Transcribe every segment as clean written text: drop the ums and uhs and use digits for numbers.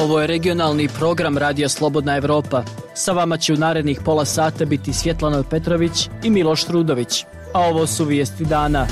Ovo je regionalni program Radija Slobodna Evropa. Sa vama će u narednih pola sata biti Svjetlana Petrović i Miloš Trudović. A ovo su vijesti dana.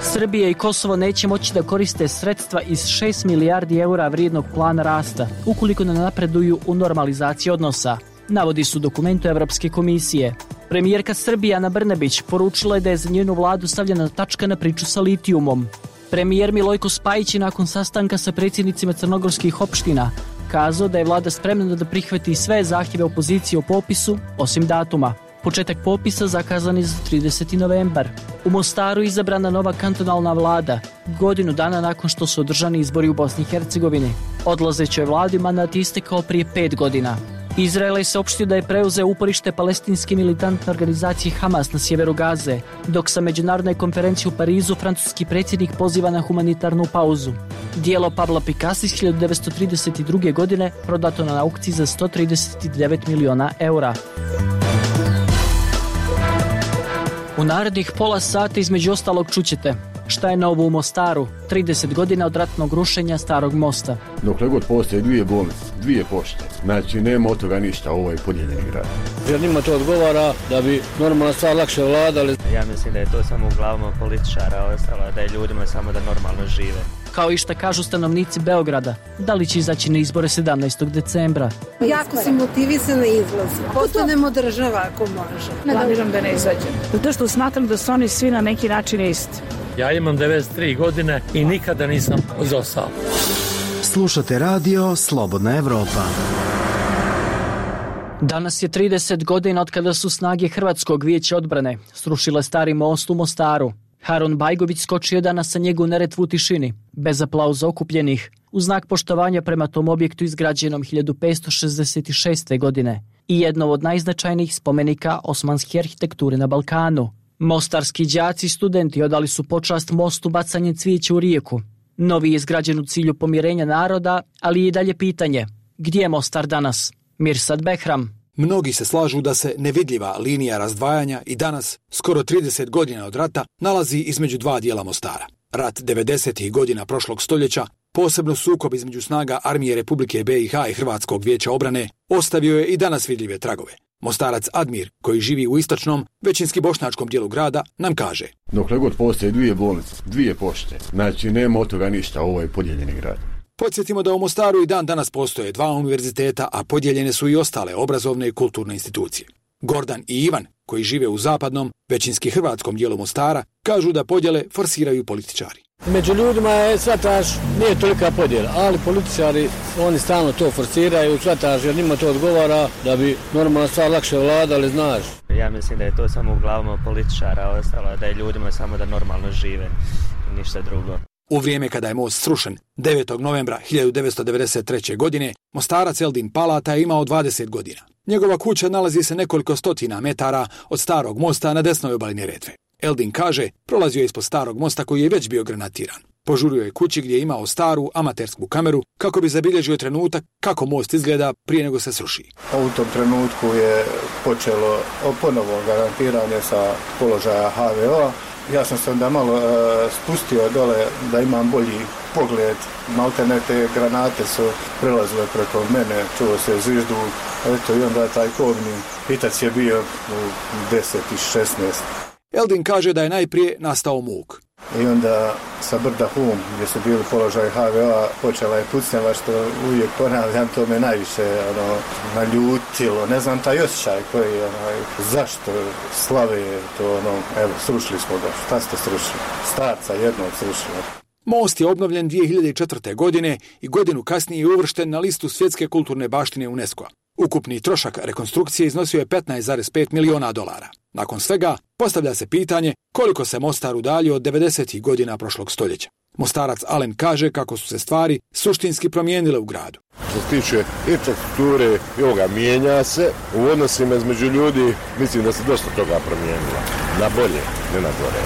Srbija i Kosovo neće moći da koriste sredstva iz 6 milijardi eura vrijednog plana rasta, ukoliko ne napreduju u normalizaciji odnosa, navodi su dokumentu Evropske komisije. Premijerka Srbije Ana Brnabić poručila je da je za njenu vladu stavljena tačka na priču sa litijumom. Premijer Milojko Spajić je nakon sastanka sa predsjednicima crnogorskih opština kazao da je vlada spremna da prihvati sve zahtjeve opozicije o popisu, osim datuma. Početak popisa zakazan je za 30. novembar. U Mostaru je izabrana nova kantonalna vlada, godinu dana nakon što su održani izbori u Bosni i Hercegovini. Odlazećoj vladi mandat istekao prije 5 godina. Izrael je saopštio da je preuzeo uporište palestinske militantne organizacije Hamas na sjeveru Gaze, dok sa međunarodne konferencije u Parizu francuski predsjednik poziva na humanitarnu pauzu. Dijelo Pabla Picasso iz 1932. godine prodato na aukciji za 139 miliona eura. U narednih pola sata između ostalog čućete šta je novo u Mostaru, 30 godina od ratnog rušenja starog mosta. Dokle god postoje dvije bolnice, dvije pošte, znači nema od toga ništa, ovo je podijeljeni grad. Jer njima to odgovara da bi normalna stvar lakše vladali. Ja mislim da je to samo u glavama političara, ostalo da je ljudima samo da normalno žive. Kao i šta kažu stanovnici Beograda, da li će izaći na izbore 17. decembra. Jako sam motivisana izlazim. Postanemo država ako može. Planiram da ne izađem. Zato što smatram da su oni svi na neki način isti. Ja imam 93 godine i nikada nisam zostao. Slušate radio Slobodna Evropa. Danas je 30 godina od kada su snage Hrvatskog vijeća odbrane srušile stari most u Mostaru. Harun Bajgović skočio danas sa njega u Neretvu u tišini, bez aplauza okupljenih, u znak poštovanja prema tom objektu izgrađenom 1566. godine i jedno od najznačajnijih spomenika osmanske arhitekture na Balkanu. Mostarski đaci i studenti odali su počast mostu bacanjem cvijeća u rijeku. Novi je izgrađen u cilju pomirenja naroda, ali i dalje pitanje, gdje je Mostar danas? Mirsad Behram. Mnogi se slažu da se nevidljiva linija razdvajanja i danas, skoro 30 godina od rata, nalazi između dva dijela Mostara. Rat 90. godina prošlog stoljeća, posebno sukob između snaga Armije Republike BiH i Hrvatskog vijeća obrane, ostavio je i danas vidljive tragove. Mostarac Admir, koji živi u istočnom, većinski bošnjačkom dijelu grada, nam kaže: Dokle god postoje dvije bolnice, dvije pošte, znači nema od toga ništa, ovo je podijeljeni grad. Podsjetimo da u Mostaru i dan danas postoje dva univerziteta, a podijeljene su i ostale obrazovne i kulturne institucije. Gordan i Ivan, koji žive u zapadnom, većinski hrvatskom dijelu Mostara, kažu da podjele forsiraju političari. Među ljudima je, shvataš, nije tolika podjela, ali političari, oni stalno to forsiraju, shvataš, jer njima to odgovara da bi normalna stvar lakše vladali, znaš. Ja mislim da je to samo u glavama političara, ostalo da je ljudima samo da normalno žive i ništa drugo. U vrijeme kada je most srušen, 9. novembra 1993. godine, Mostarac Eldin Palata je imao 20 godina. Njegova kuća nalazi se nekoliko stotina metara od starog mosta na desnoj obali Neretve. Eldin kaže, prolazio je ispod starog mosta koji je već bio granatiran. Požurio je kući gdje je imao staru amatersku kameru kako bi zabilježio trenutak kako most izgleda prije nego se sruši. U tom trenutku je počelo ponovo granatiranje sa položaja HVO. Ja sam se onda malo spustio dole da imam bolji pogled. Maltene te granate su prelazile preko mene, čuo se zvižduk. Eto, i onda taj kobni hitac je bio u 10 i 16. Eldin kaže da je najprije nastao muk. I onda sa brda Hum, gdje su bili položaj HVO-a, počela je pucnjava, što uvijek ponavljam, to me najviše naljutilo. Ne znam taj osjećaj koji, zašto slave to, evo, srušili smo ga. Šta ste srušili? Starca jednog srušili. Most je obnovljen 2004. godine i godinu kasnije je uvršten na listu svjetske kulturne baštine UNESCO-a. Ukupni trošak rekonstrukcije iznosio je $15,5 miliona. Nakon svega, postavlja se pitanje koliko se Mostar udaljio od 90. godina prošlog stoljeća. Mostarac Alen kaže kako su se stvari suštinski promijenile u gradu. Što se tiče infrastrukture i ovoga, mijenja se u odnosima između ljudi, mislim da se dosta toga promijenilo. Na bolje, ne na gore.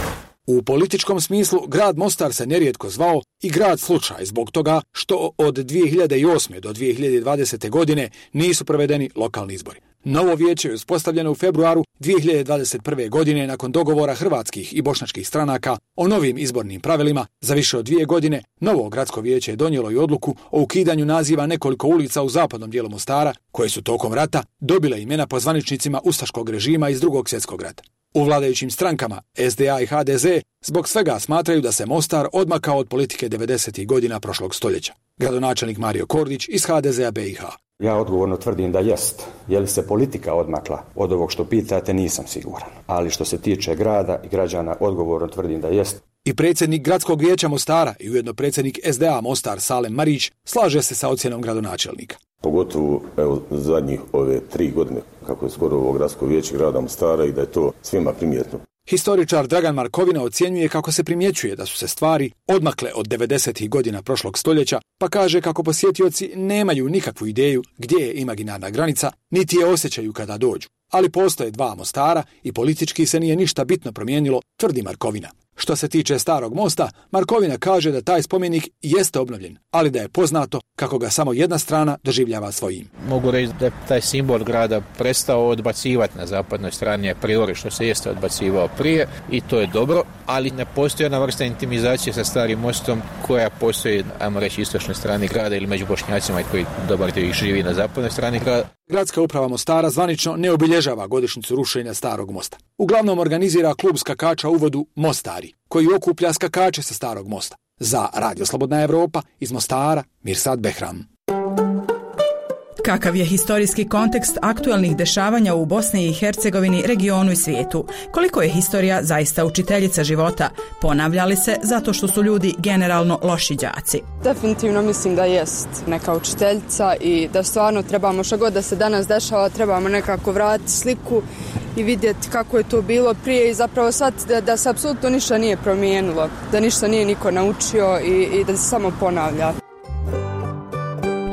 U političkom smislu, grad Mostar se nerijetko zvao i grad slučaj zbog toga što od 2008. do 2020. godine nisu provedeni lokalni izbori. Novo vijeće je uspostavljeno u februaru 2021. godine nakon dogovora hrvatskih i bošnjačkih stranaka o novim izbornim pravilima. Za više od 2 godine novo gradsko vijeće je donijelo i odluku o ukidanju naziva nekoliko ulica u zapadnom dijelu Mostara, koje su tokom rata dobile imena po zvaničnicima ustaškog režima iz Drugog svjetskog rata. U vladajućim strankama SDA i HDZ zbog svega smatraju da se Mostar odmakao od politike 90. godina prošlog stoljeća. Gradonačelnik Mario Kordić iz HDZ-a BiH. Ja odgovorno tvrdim da jest. Je li se politika odmakla od ovog što pitate, nisam siguran. Ali što se tiče grada i građana, odgovorno tvrdim da jest. I predsjednik gradskog vijeća Mostara i ujedno predsjednik SDA Mostar Salem Marić slaže se sa ocjenom gradonačelnika. Pogotovo zadnjih ove 3 godine kako je skoro ovo gradsko vijeće grada Mostara i da je to svima primjetno. Historičar Dragan Markovina ocjenjuje kako se primjećuje da su se stvari odmakle od 90. godina prošlog stoljeća, pa kaže kako posjetioci nemaju nikakvu ideju gdje je imaginarna granica, niti je osjećaju kada dođu. Ali postoje 2 Mostara i politički se nije ništa bitno promijenilo, tvrdi Markovina. Što se tiče Starog mosta, Markovina kaže da taj spomenik jeste obnovljen, ali da je poznato kako ga samo jedna strana doživljava svojim. Mogu reći da je taj simbol grada prestao odbacivati na zapadnoj strani a priori što se jeste odbacivao prije i to je dobro, ali ne postoji jedna vrsta intimizacije sa Starim mostom koja postoji, ajmo reći, istočnoj strani grada ili među Bošnjacima koji dobar dio ih živi na zapadnoj strani grada. Gradska uprava Mostara zvanično ne obilježava godišnjicu rušenja Starog mosta. Uglavnom organizira klub skakača u vodu Mostari, koji okuplja skakače sa Starog mosta. Za Radio Slobodna Evropa iz Mostara, Mirsad Behram. Kakav je historijski kontekst aktualnih dešavanja u Bosni i Hercegovini, regionu i svijetu? Koliko je historija zaista učiteljica života? Ponavlja li se zato što su ljudi generalno loši đaci? Definitivno mislim da jest neka učiteljica i da stvarno trebamo što god da se danas dešava, trebamo nekako vratiti sliku i vidjeti kako je to bilo prije i zapravo shvatiti da se apsolutno ništa nije promijenilo, da ništa nije niko naučio i da se samo ponavlja.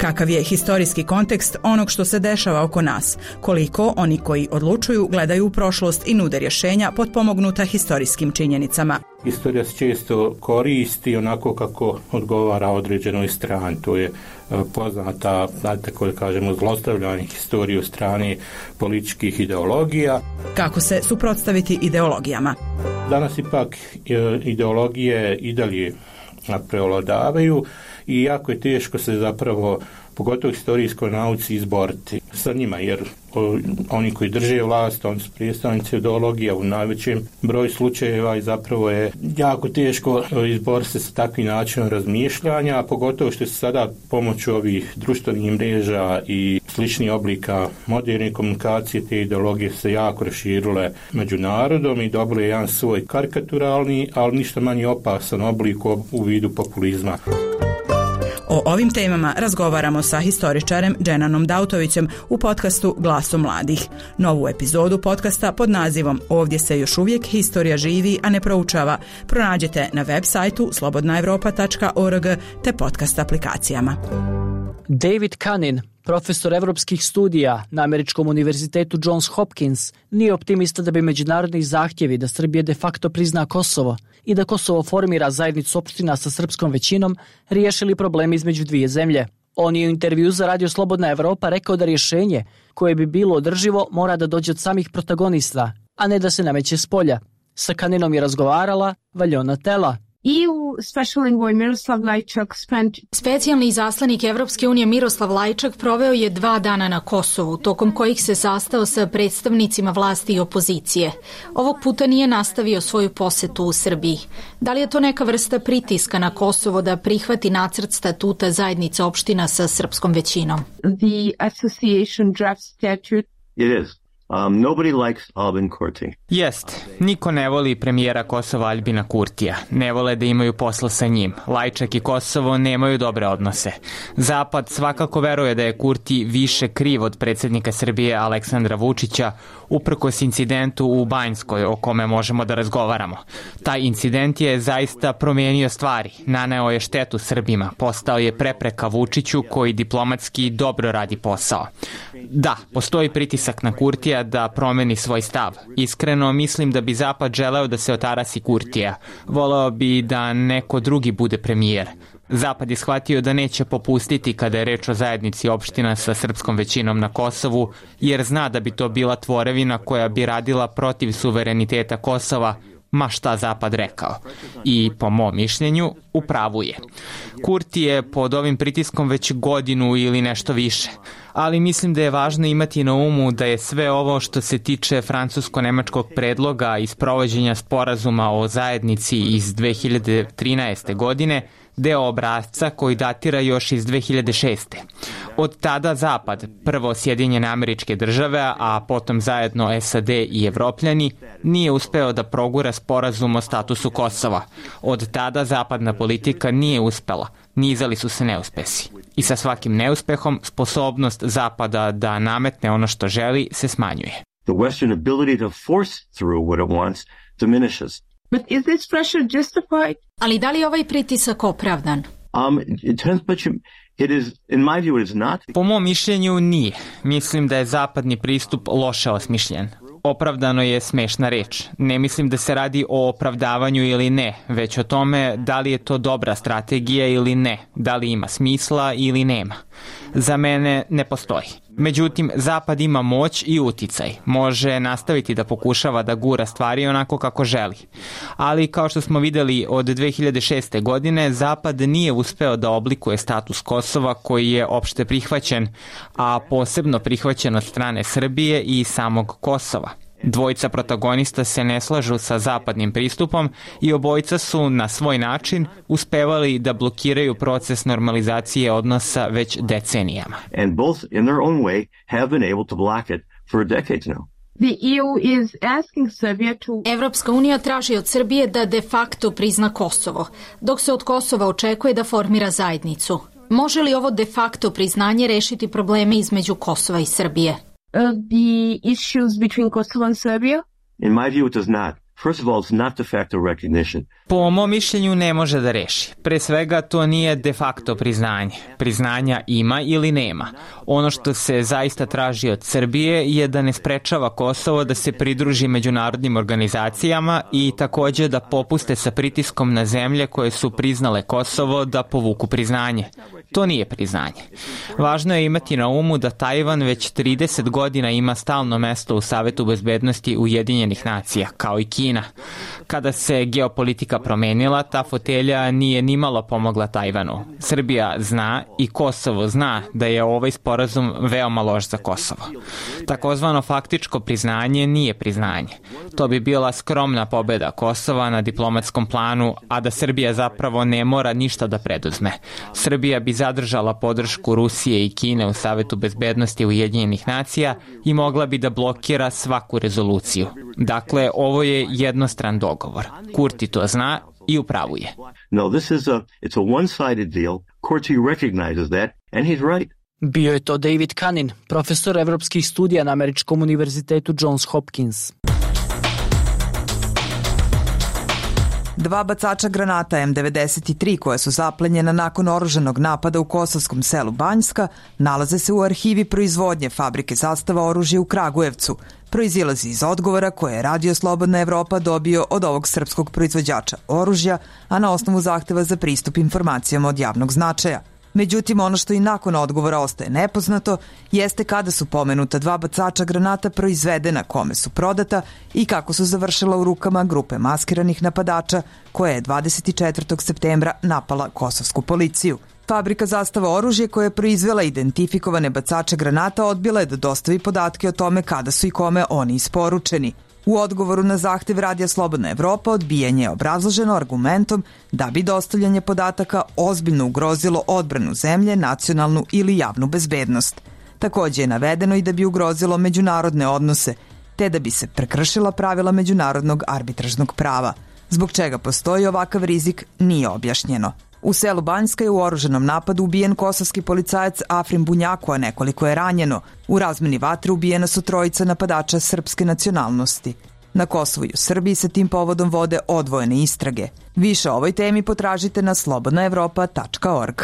Kakav je historijski kontekst onog što se dešava oko nas? Koliko oni koji odlučuju gledaju u prošlost i nude rješenja potpomognuta historijskim činjenicama? Historija se često koristi onako kako odgovara određenoj strani. To je poznata, tako da kažemo, zlostavljanje historije od strane političkih ideologija. Kako se suprotstaviti ideologijama? Danas ipak ideologije i dalje prevladavaju i jako je teško se zapravo, pogotovo historijskoj nauci, izboriti sa njima, jer oni koji drže vlast, oni su predstavnici ideologija u najvećem broju slučajeva i zapravo je jako teško izboriti se sa takvim načinom razmišljanja, a pogotovo što se sada pomoću ovih društvenih mreža i sličnih oblika moderne komunikacije te ideologije se jako raširile među narodom i dobile jedan svoj karikaturalni, ali ništa manje opasan oblik u vidu populizma. O ovim temama razgovaramo sa historičarem Dženanom Dautovićem u podcastu Glasom mladih. Novu epizodu podcasta pod nazivom Ovdje se još uvijek historija živi, a ne proučava pronađete na web sajtu slobodnaevropa.org te podcast aplikacijama. David Kanin, profesor evropskih studija na Američkom univerzitetu Johns Hopkins, nije optimista da bi međunarodni zahtjevi da Srbija de facto prizna Kosovo i da Kosovo formira zajednicu opština sa srpskom većinom riješili problemi između dvije zemlje. On je u intervju za Radio Slobodna Evropa rekao da rješenje koje bi bilo održivo mora da dođe od samih protagonista, a ne da se nameće s polja. Sa Kaninom je razgovarala Valjona Tela. Specijalni izaslanik Evropske unije Miroslav Lajčak proveo je 2 dana na Kosovu, tokom kojih se sastao sa predstavnicima vlasti i opozicije. Ovog puta nije nastavio svoju posetu u Srbiji. Da li je to neka vrsta pritiska na Kosovo da prihvati nacrt statuta zajednice opština sa srpskom većinom? The association draft statute. It is. Nobody likes Albin Kurti. Jest, niko ne voli premijera Kosova Albina Kurtija. Ne vole da imaju posla sa njim. Lajčak i Kosovo nemaju dobre odnose. Zapad svakako veruje da je Kurti više kriv od predsjednika Srbije Aleksandra Vučića, uprkos incidentu u Banjskoj o kome možemo da razgovaramo. Taj incident je zaista promijenio stvari. Naneo je štetu Srbima. Postao je prepreka Vučiću koji diplomatski dobro radi posao. Da, postoji pritisak na Kurtija da promeni svoj stav. Iskreno mislim da bi Zapad želeo da se otarasi Kurtija. Voleo bi da neko drugi bude premijer. Zapad je shvatio da neće popustiti kada je reč o zajednici opština sa srpskom većinom na Kosovu, jer zna da bi to bila tvorevina koja bi radila protiv suvereniteta Kosova, ma šta Zapad rekao. I, po mom mišljenju, u pravu je. Kurti je pod ovim pritiskom već godinu ili nešto više. Ali mislim da je važno imati na umu da je sve ovo što se tiče francusko-nemačkog predloga i sprovođenja sporazuma o zajednici iz 2013. godine deo obrasca koji datira još iz 2006. Od tada Zapad, prvo Sjedinjene Američke Države, a potom zajedno SAD i Evropljani, nije uspeo da progura sporazum o statusu Kosova. Od tada zapadna politika nije uspela, nizali su se neuspesi. I sa svakim neuspehom sposobnost Zapada da nametne ono što želi se smanjuje. The Western ability to force through what it wants diminishes. But is this pressure justified? Ali da li je ovaj pritisak opravdan? It is, in my view, it is not. Po mom mišljenju nije. Mislim da je zapadni pristup loše osmišljen. Opravdano je smešna reč. Ne mislim da se radi o opravdavanju ili ne, već o tome da li je to dobra strategija ili ne, da li ima smisla ili nema. Za mene ne postoji. Međutim, Zapad ima moć i uticaj. Može nastaviti da pokušava da gura stvari onako kako želi. Ali, kao što smo videli od 2006. godine, Zapad nije uspeo da oblikuje status Kosova koji je opšte prihvaćen, a posebno prihvaćen od strane Srbije i samog Kosova. Dvojica protagonista se ne slažu sa zapadnim pristupom i obojica su na svoj način uspevali da blokiraju proces normalizacije odnosa već decenijama. And both in their own way have been able to block it for decades now. The EU is asking Serbia to... Evropska unija traži od Srbije da de facto prizna Kosovo, dok se od Kosova očekuje da formira zajednicu. Može li ovo de facto priznanje rešiti probleme između Kosova i Srbije? The issues between Kosovo and Serbia? In my view, it does not. First of all, it's not de facto recognition. Po mom mišljenju ne može da reši. Pre svega to nije de facto priznanje. Priznanja ima ili nema. Ono što se zaista traži od Srbije je da ne sprečava Kosovo da se pridruži međunarodnim organizacijama i takođe da popuste sa pritiskom na zemlje koje su priznale Kosovo da povuku priznanje. To nije priznanje. Važno je imati na umu da Tajvan već 30 godina ima stalno mesto u Savetu bezbednosti Ujedinjenih nacija, kao i Kina. Kada se geopolitika promenila, ta fotelja nije nimalo pomogla Tajvanu. Srbija zna i Kosovo zna da je ovaj sporazum veoma loš za Kosovo. Takozvano faktičko priznanje nije priznanje. To bi bila skromna pobeda Kosova na diplomatskom planu, a da Srbija zapravo ne mora ništa da preduzme. Srbija bi zadržala podršku Rusije i Kine u Savetu bezbednosti Ujedinjenih nacija i mogla bi da blokira svaku rezoluciju. Dakle, ovo je jednostran dogovor. Kurti to zna i u pravu je. No, it's a one-sided deal. Kurti recognizes that and he's right. Bio je to David Kanin, profesor evropskih studija na Američkom univerzitetu Johns Hopkins. 2 bacača granata M93 koje su zaplenjena nakon oružanog napada u kosovskom selu Banjska nalaze se u arhivi proizvodnje fabrike Zastava oružja u Kragujevcu. Proizilazi iz odgovora koje je Radio Slobodna Evropa dobio od ovog srpskog proizvođača oružja, a na osnovu zahteva za pristup informacijama od javnog značaja. Međutim, ono što i nakon odgovora ostaje nepoznato jeste kada su pomenuta 2 bacača granata proizvedena, kome su prodata i kako su završila u rukama grupe maskiranih napadača koja je 24. septembra napala kosovsku policiju. Fabrika Zastava oružje koja je proizvela identifikovane bacače granata odbila je da dostavi podatke o tome kada su i kome oni isporučeni. U odgovoru na zahtev Radija Slobodna Evropa odbijanje je obrazloženo argumentom da bi dostavljanje podataka ozbiljno ugrozilo odbranu zemlje, nacionalnu ili javnu bezbednost. Takođe je navedeno i da bi ugrozilo međunarodne odnose, te da bi se prekršila pravila međunarodnog arbitražnog prava. Zbog čega postoji ovakav rizik nije objašnjeno. U selu Banjska je u oružanom napadu ubijen kosovski policajac Afrim Bunjaku, a nekoliko je ranjeno. U razmeni vatre ubijena su 3 napadača srpske nacionalnosti. Na Kosovu i u Srbiji se tim povodom vode odvojene istrage. Više o ovoj temi potražite na slobodnaevropa.org.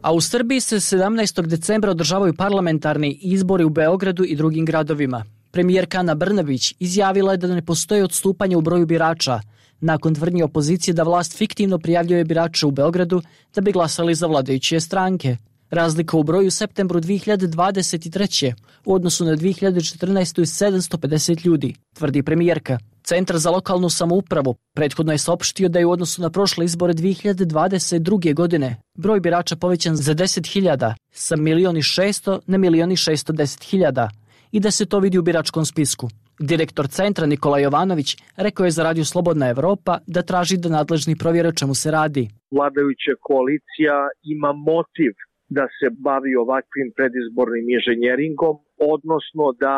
A u Srbiji se 17. decembra održavaju parlamentarni izbori u Beogradu i drugim gradovima. Premijerka Ana Brnabić izjavila je da ne postoji odstupanje u broju birača. nakon tvrdnje opozicije da vlast fiktivno prijavljuje birače u Beogradu da bi glasali za vladajuće stranke. Razlika u broju u septembru 2023. u odnosu na 2014. je 750 ljudi, tvrdi premijerka. Centar za lokalnu samoupravu prethodno je saopštio da je u odnosu na prošle izbore 2022. godine broj birača povećan za 10.000 sa 1.600.000 na 1.610.000 i da se to vidi u biračkom spisku. Direktor centra Nikola Jovanović rekao je za Radio Slobodna Evropa da traži da nadležni provjere o čemu se radi. Vladajuća koalicija ima motiv da se bavi ovakvim predizbornim inženjeringom, odnosno da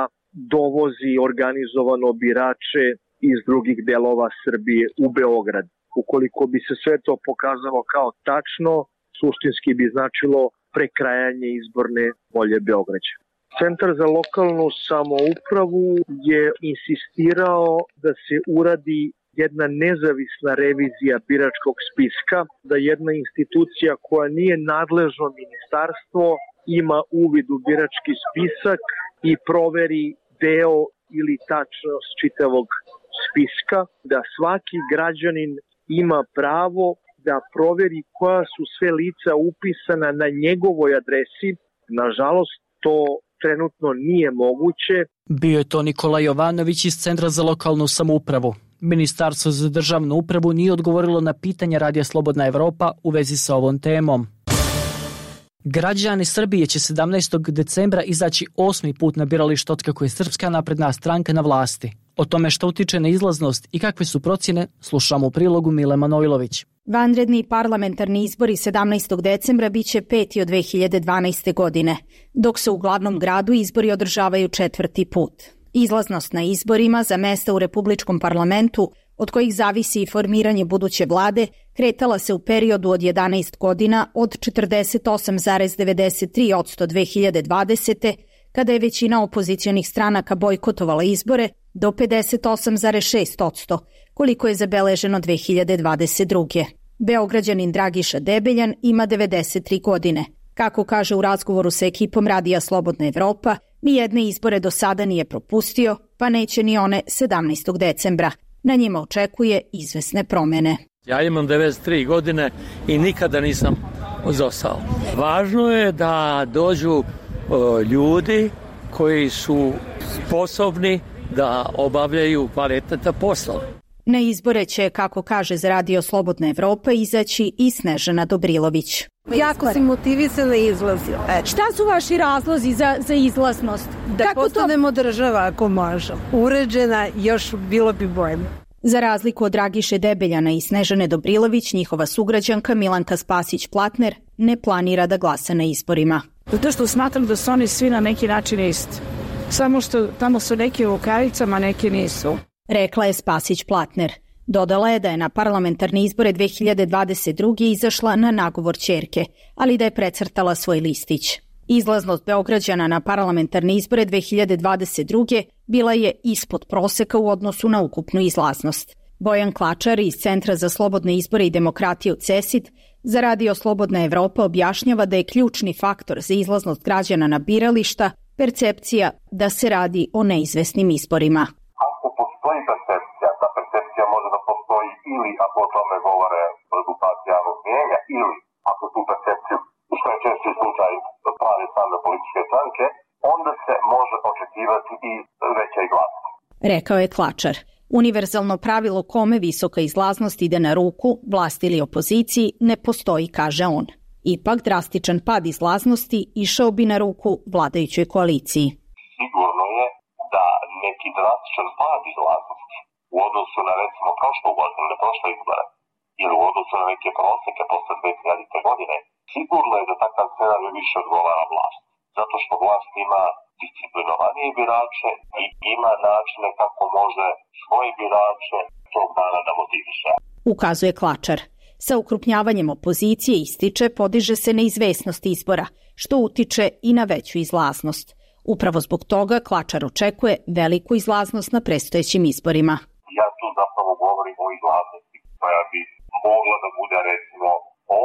dovozi organizovano birače iz drugih delova Srbije u Beograd. Ukoliko bi se sve to pokazalo kao tačno, suštinski bi značilo prekrajanje izborne volje Beograđa. Centar za lokalnu samoupravu je insistirao da se uradi jedna nezavisna revizija biračkog spiska, da jedna institucija koja nije nadležno ministarstvo ima uvid u birački spisak i proveri deo ili tačnost čitavog spiska, da svaki građanin ima pravo da proveri koja su sve lica upisana na njegovoj adresi. Nažalost, to trenutno nije moguće. Bio je to Nikola Jovanović iz Centra za lokalnu samoupravu. Ministarstvo za državnu upravu nije odgovorilo na pitanja Radija Slobodna Evropa u vezi sa ovom temom. Građani Srbije će 17. decembra izaći 8. put na biralište otkako je Srpska napredna stranka na vlasti. O tome što utiče na izlaznost i kakve su procjene slušamo u prilogu Mile Manojlović. Vanredni parlamentarni izbori 17. decembra biće 5. od 2012. godine, dok se u glavnom gradu izbori održavaju 4. put. Izlaznost na izborima za mesta u Republičkom parlamentu, od kojih zavisi i formiranje buduće vlade, kretala se u periodu od 11 godina od 48,93% 2020. kada je većina opozicionih stranaka bojkotovala izbore, do 58,6%, koliko je zabeleženo 2022. Beograđanin Dragiša Debeljan ima 93 godine. Kako kaže u razgovoru sa ekipom Radija Slobodna Evropa, nijedne izbore do sada nije propustio, pa neće ni one 17. decembra. Na njima očekuje izvesne promene. Ja imam 93 godine i nikada nisam ozostao. Važno je da dođu ljudi koji su sposobni da obavljaju kvalitetan posao. Na izbore će, kako kaže za Radio Slobodna Evropa, izaći i Snežana Dobrilović. Jako sam motivisana i izlazila. Šta su vaši razlozi za izlaznost? Da postanemo država ako možemo. Uređena, još bilo bi bolje. Za razliku od Dragiše Debeljana i Snežane Dobrilović, njihova sugrađanka Milanka Spasić-Platner ne planira da glasa na izborima. Zato što smatram da su oni svi na neki način isti. Samo što tamo su neki u rukavicama, neki nisu. Rekla je Spasić-Platner. Dodala je da je na parlamentarne izbore 2022. izašla na nagovor ćerke, ali da je precrtala svoj listić. Izlaznost Beograđana na parlamentarne izbore 2022. bila je ispod proseka u odnosu na ukupnu izlaznost. Bojan Klačar iz Centra za slobodne izbore i demokratiju CESID za Radio Slobodna Evropa objašnjava da je ključni faktor za izlaznost građana na birališta percepcija da se radi o neizvesnim izborima. Ako postoji percepcija, ta percepcija može da postoji ili ako o tome govore rezultati javnog mnijenja ili ako tu percepciju, što je češći slučaj, prave same političke stranke, onda se može očekivati i veća glasnost. Rekao je Klačar. Univerzalno pravilo kome visoka izlaznost ide na ruku, vlasti ili opoziciji, ne postoji, kaže on. Ipak drastičan pad izlaznosti išao bi na ruku vladajućoj koaliciji. Sigurno je da neki drastičan pad izlaznosti u odnosu na recimo prošlu godinu ili prošle izbore ili u odnosu na neke proseke posle 2000. godine, sigurno je da takav scenarij više odgovara vlast. Zato što vlast ima disciplinovanije birače i ima načine kako može svoje birače tog dana da motiviše. Ukazuje Klačar. Sa ukrupnjavanjem opozicije, ističe, podiže se neizvesnost izbora, što utiče i na veću izlaznost. Upravo zbog toga Klačar očekuje veliku izlaznost na predstojećim izborima. Ja tu zapravo govorim o izlaznosti koja bi mogla da bude recimo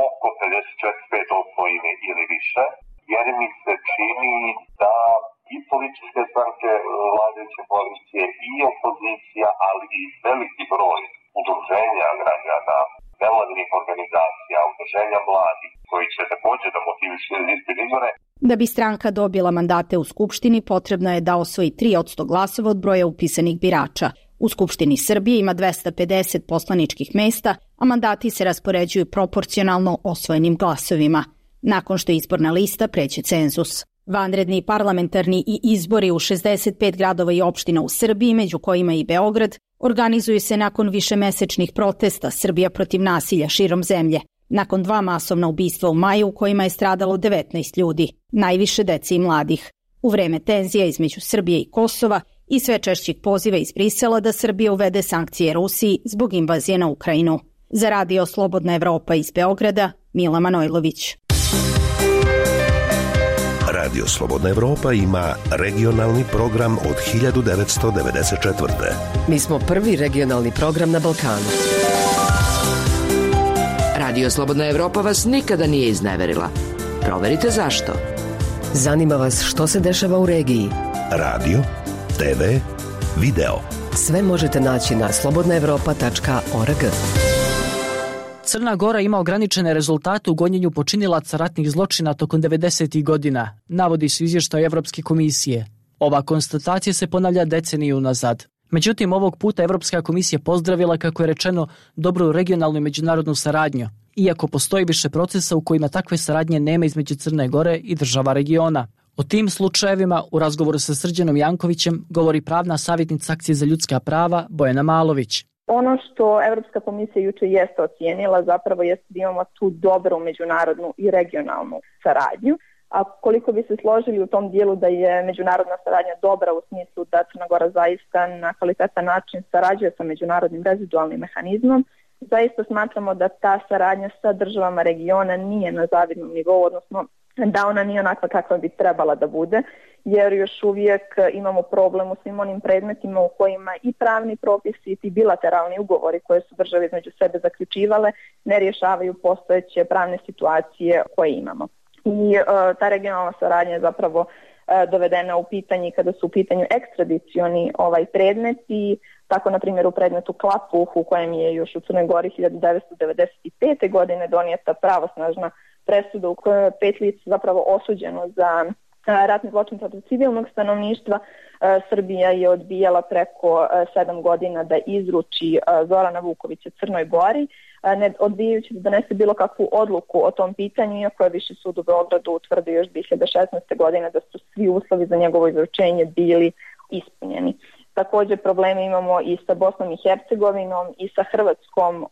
oko 54-5% ili više, jer mi se čini da i političke stranke vladajuće koalicije i opozicija, ali i veliki broj udruženja građana, nevladinih organizacija, udruženja mladih, koji će također da motivišu liste izbore. Da bi stranka dobila mandate u Skupštini, potrebno je da osvoji 3% glasova od broja upisanih birača. U Skupštini Srbije ima 250 poslaničkih mesta, a mandati se raspoređuju proporcionalno osvojenim glasovima, nakon što izborna lista pređe cenzus. Vanredni parlamentarni i izbori u 65 gradova i opština u Srbiji, među kojima i Beograd, organizuju se nakon višemesečnih protesta Srbija protiv nasilja širom zemlje, nakon 2 masovna ubistva u maju u kojima je stradalo 19 ljudi, najviše dece i mladih, u vreme tenzija između Srbije i Kosova i sve češćih poziva iz Brisela da Srbija uvede sankcije Rusiji zbog invazije na Ukrajinu. Za Radio Slobodna Evropa iz Beograda, Mila Manojlović. Radio Slobodna Evropa ima regionalni program od 1994. Mi smo prvi regionalni program na Balkanu. Radio Slobodna Evropa vas nikada nije izneverila. Proverite zašto. Zanima vas što se dešava u regiji. Radio, TV, video. Sve možete naći na slobodnaevropa.org. Crna Gora ima ograničene rezultate u gonjenju počinilaca ratnih zločina tokom 90. godina, navodi se u izvještaju Evropske komisije. Ova konstatacija se ponavlja deceniju unazad. Međutim, ovog puta Evropska komisija pozdravila, kako je rečeno, dobru regionalnu i međunarodnu saradnju, iako postoji više procesa u kojima takve saradnje nema između Crne Gore i država regiona. O tim slučajevima u razgovoru sa Srđanom Jankovićem govori pravna savjetnica Akcije za ljudska prava Bojana Malović. Ono što Evropska komisija juče jeste ocijenila zapravo jeste da imamo tu dobru međunarodnu i regionalnu saradnju. A koliko bi se složili u tom dijelu da je međunarodna saradnja dobra u smislu da Crna Gora zaista na kvalitetan način sarađuje sa međunarodnim rezidualnim mehanizmom, zaista smatramo da ta saradnja sa državama regiona nije na zavidnom nivou, odnosno da ona nije onakva kakva bi trebala da bude, jer još uvijek imamo problem u svim onim predmetima u kojima i pravni propisi i ti bilateralni ugovori koje su države između sebe zaključivale ne rješavaju postojeće pravne situacije koje imamo. I ta regionalna saradnja je zapravo dovedena u pitanje kada su u pitanju ekstradicioni predmeti, tako na primjer u predmetu Klapuh u kojem je još u Crnoj Gori 1995. godine donijeta pravosnažna presuda u kojoj je 5 lica zapravo osuđeno za ratni zločin protiv civilnog stanovništva. Srbija je odbijala preko 7 godina da izruči Zorana Vukovića Crnoj Gori, ne odbijajući da donese bilo kakvu odluku o tom pitanju, iako je Viši sud u Beogradu utvrdio još 2016. godine da su svi uslovi za njegovo izručenje bili ispunjeni. Također probleme imamo i sa Bosnom i Hercegovinom i sa Hrvatskom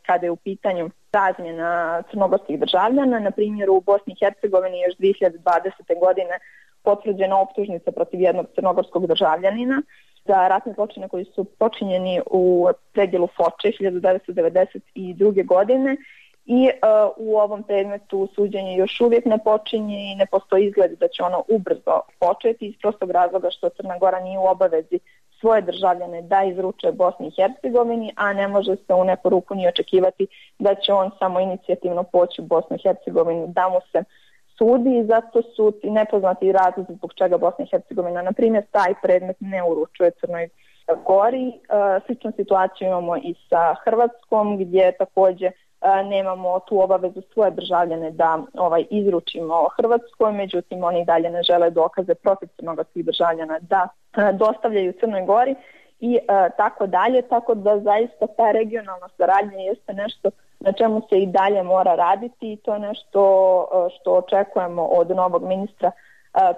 kada je u pitanju razmjena crnogorskih državljana. Na primjer, u Bosni i Hercegovini još 2020. godine potvrđena optužnica protiv jednog crnogorskog državljanina za ratne zločine koji su počinjeni u predjelu Foče 1992. godine i u ovom predmetu suđenje još uvijek ne počinje i ne postoji izgled da će ono ubrzo početi iz prostog razloga što Crna Gora nije u obavezi svoje državljane da izruče Bosni i Hercegovini, a ne može se u neku ruku ni očekivati da će on samo inicijativno poći u Bosnu i Hercegovinu da mu se sudi i zato su ti nepoznati razlozi zbog čega Bosna i Hercegovina, na primjer, taj predmet ne uručuje Crnoj Gori. Sličnu situaciju imamo i sa Hrvatskom gdje također nemamo tu obavezu svoje državljane da izručimo Hrvatskoj, međutim oni dalje ne žele dokaze protiv crnogorskih državljana da dostavljaju Crnoj Gori i tako dalje, tako da zaista ta regionalna saradnja jeste nešto na čemu se i dalje mora raditi i to je nešto što očekujemo od novog ministra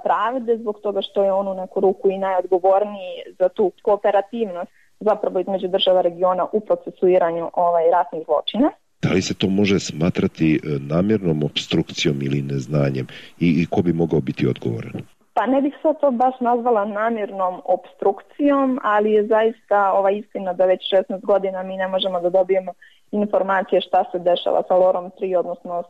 pravde zbog toga što je on u neku ruku i najodgovorniji za tu kooperativnost zapravo između država regiona u procesuiranju ratnih zločina. Da li se to može smatrati namjernom opstrukcijom ili neznanjem i ko bi mogao biti odgovoran? Pa ne bih sad to baš nazvala namjernom opstrukcijom, ali je zaista istina da već 16 godina mi ne možemo da dobijemo informacije šta se dešava sa Lorom 3, odnosno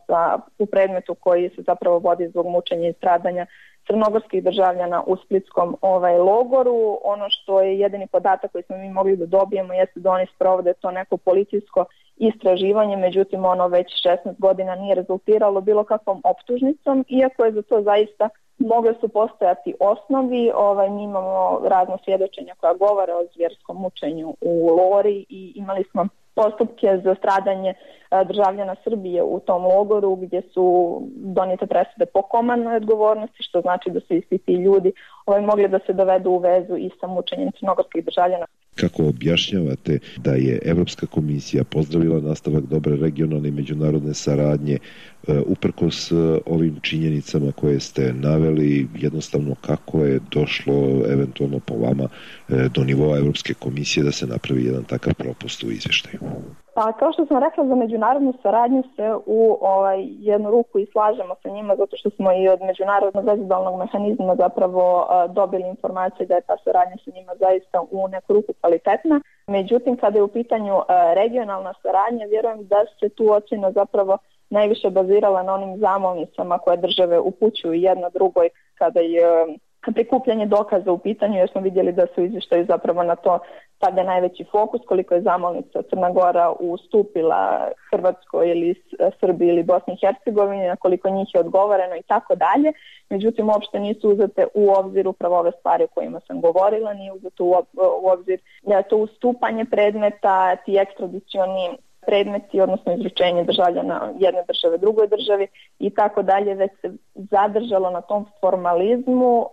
u predmetu koji se zapravo vodi zbog mučenja i stradanja crnogorskih državljana u splitskom logoru. Ono što je jedini podatak koji smo mi mogli da dobijemo jeste da oni sprovode to neko policijsko istraživanje, međutim ono već 16 godina nije rezultiralo bilo kakvom optužnicom, iako je za to zaista mogle su postojati osnovi. Mi imamo razno svjedočenja koja govore o zvjerskom mučenju u Lori i imali smo postupke za stradanje državljana Srbije u tom logoru gdje su donijete presude po komandnoj odgovornosti, što znači da su isti ti ljudi mogli da se dovedu u vezu i sa mučenjem crnogorskih državljana. Kako objašnjavate da je Evropska komisija pozdravila nastavak dobre regionalne i međunarodne saradnje uprkos ovim činjenicama koje ste naveli, jednostavno kako je došlo eventualno po vama do nivoa Evropske komisije da se napravi jedan takav propust u izveštaju? Pa kao što sam rekla, za međunarodnu saradnju se u jednu ruku i slažemo sa njima, zato što smo i od međunarodnog vezubalnog mehanizma zapravo dobili informacije da je ta saradnja sa njima zaista u neku ruku kvalitetna. Međutim, kada je u pitanju regionalna saradnja, vjerujem da se tu ocjena zapravo najviše bazirala na onim zamolnicama koje države upućuju jedna drugoj kada je prikupljanje dokaza u pitanju, jer smo vidjeli da su izvještaju zapravo na to stavlja najveći fokus, koliko je zamolnica Crna Gora ustupila Hrvatskoj ili Srbiji ili Bosni i Hercegovini, na koliko njih je odgovoreno i tako dalje. Međutim, uopšte nisu uzete u obzir upravo ove stvari o kojima sam govorila, nije uzeto u obzir to ustupanje predmeta, ti ekstradicioni predmeti, odnosno izručenje državljana jedne države drugoj državi i tako dalje, već se zadržalo na tom formalizmu,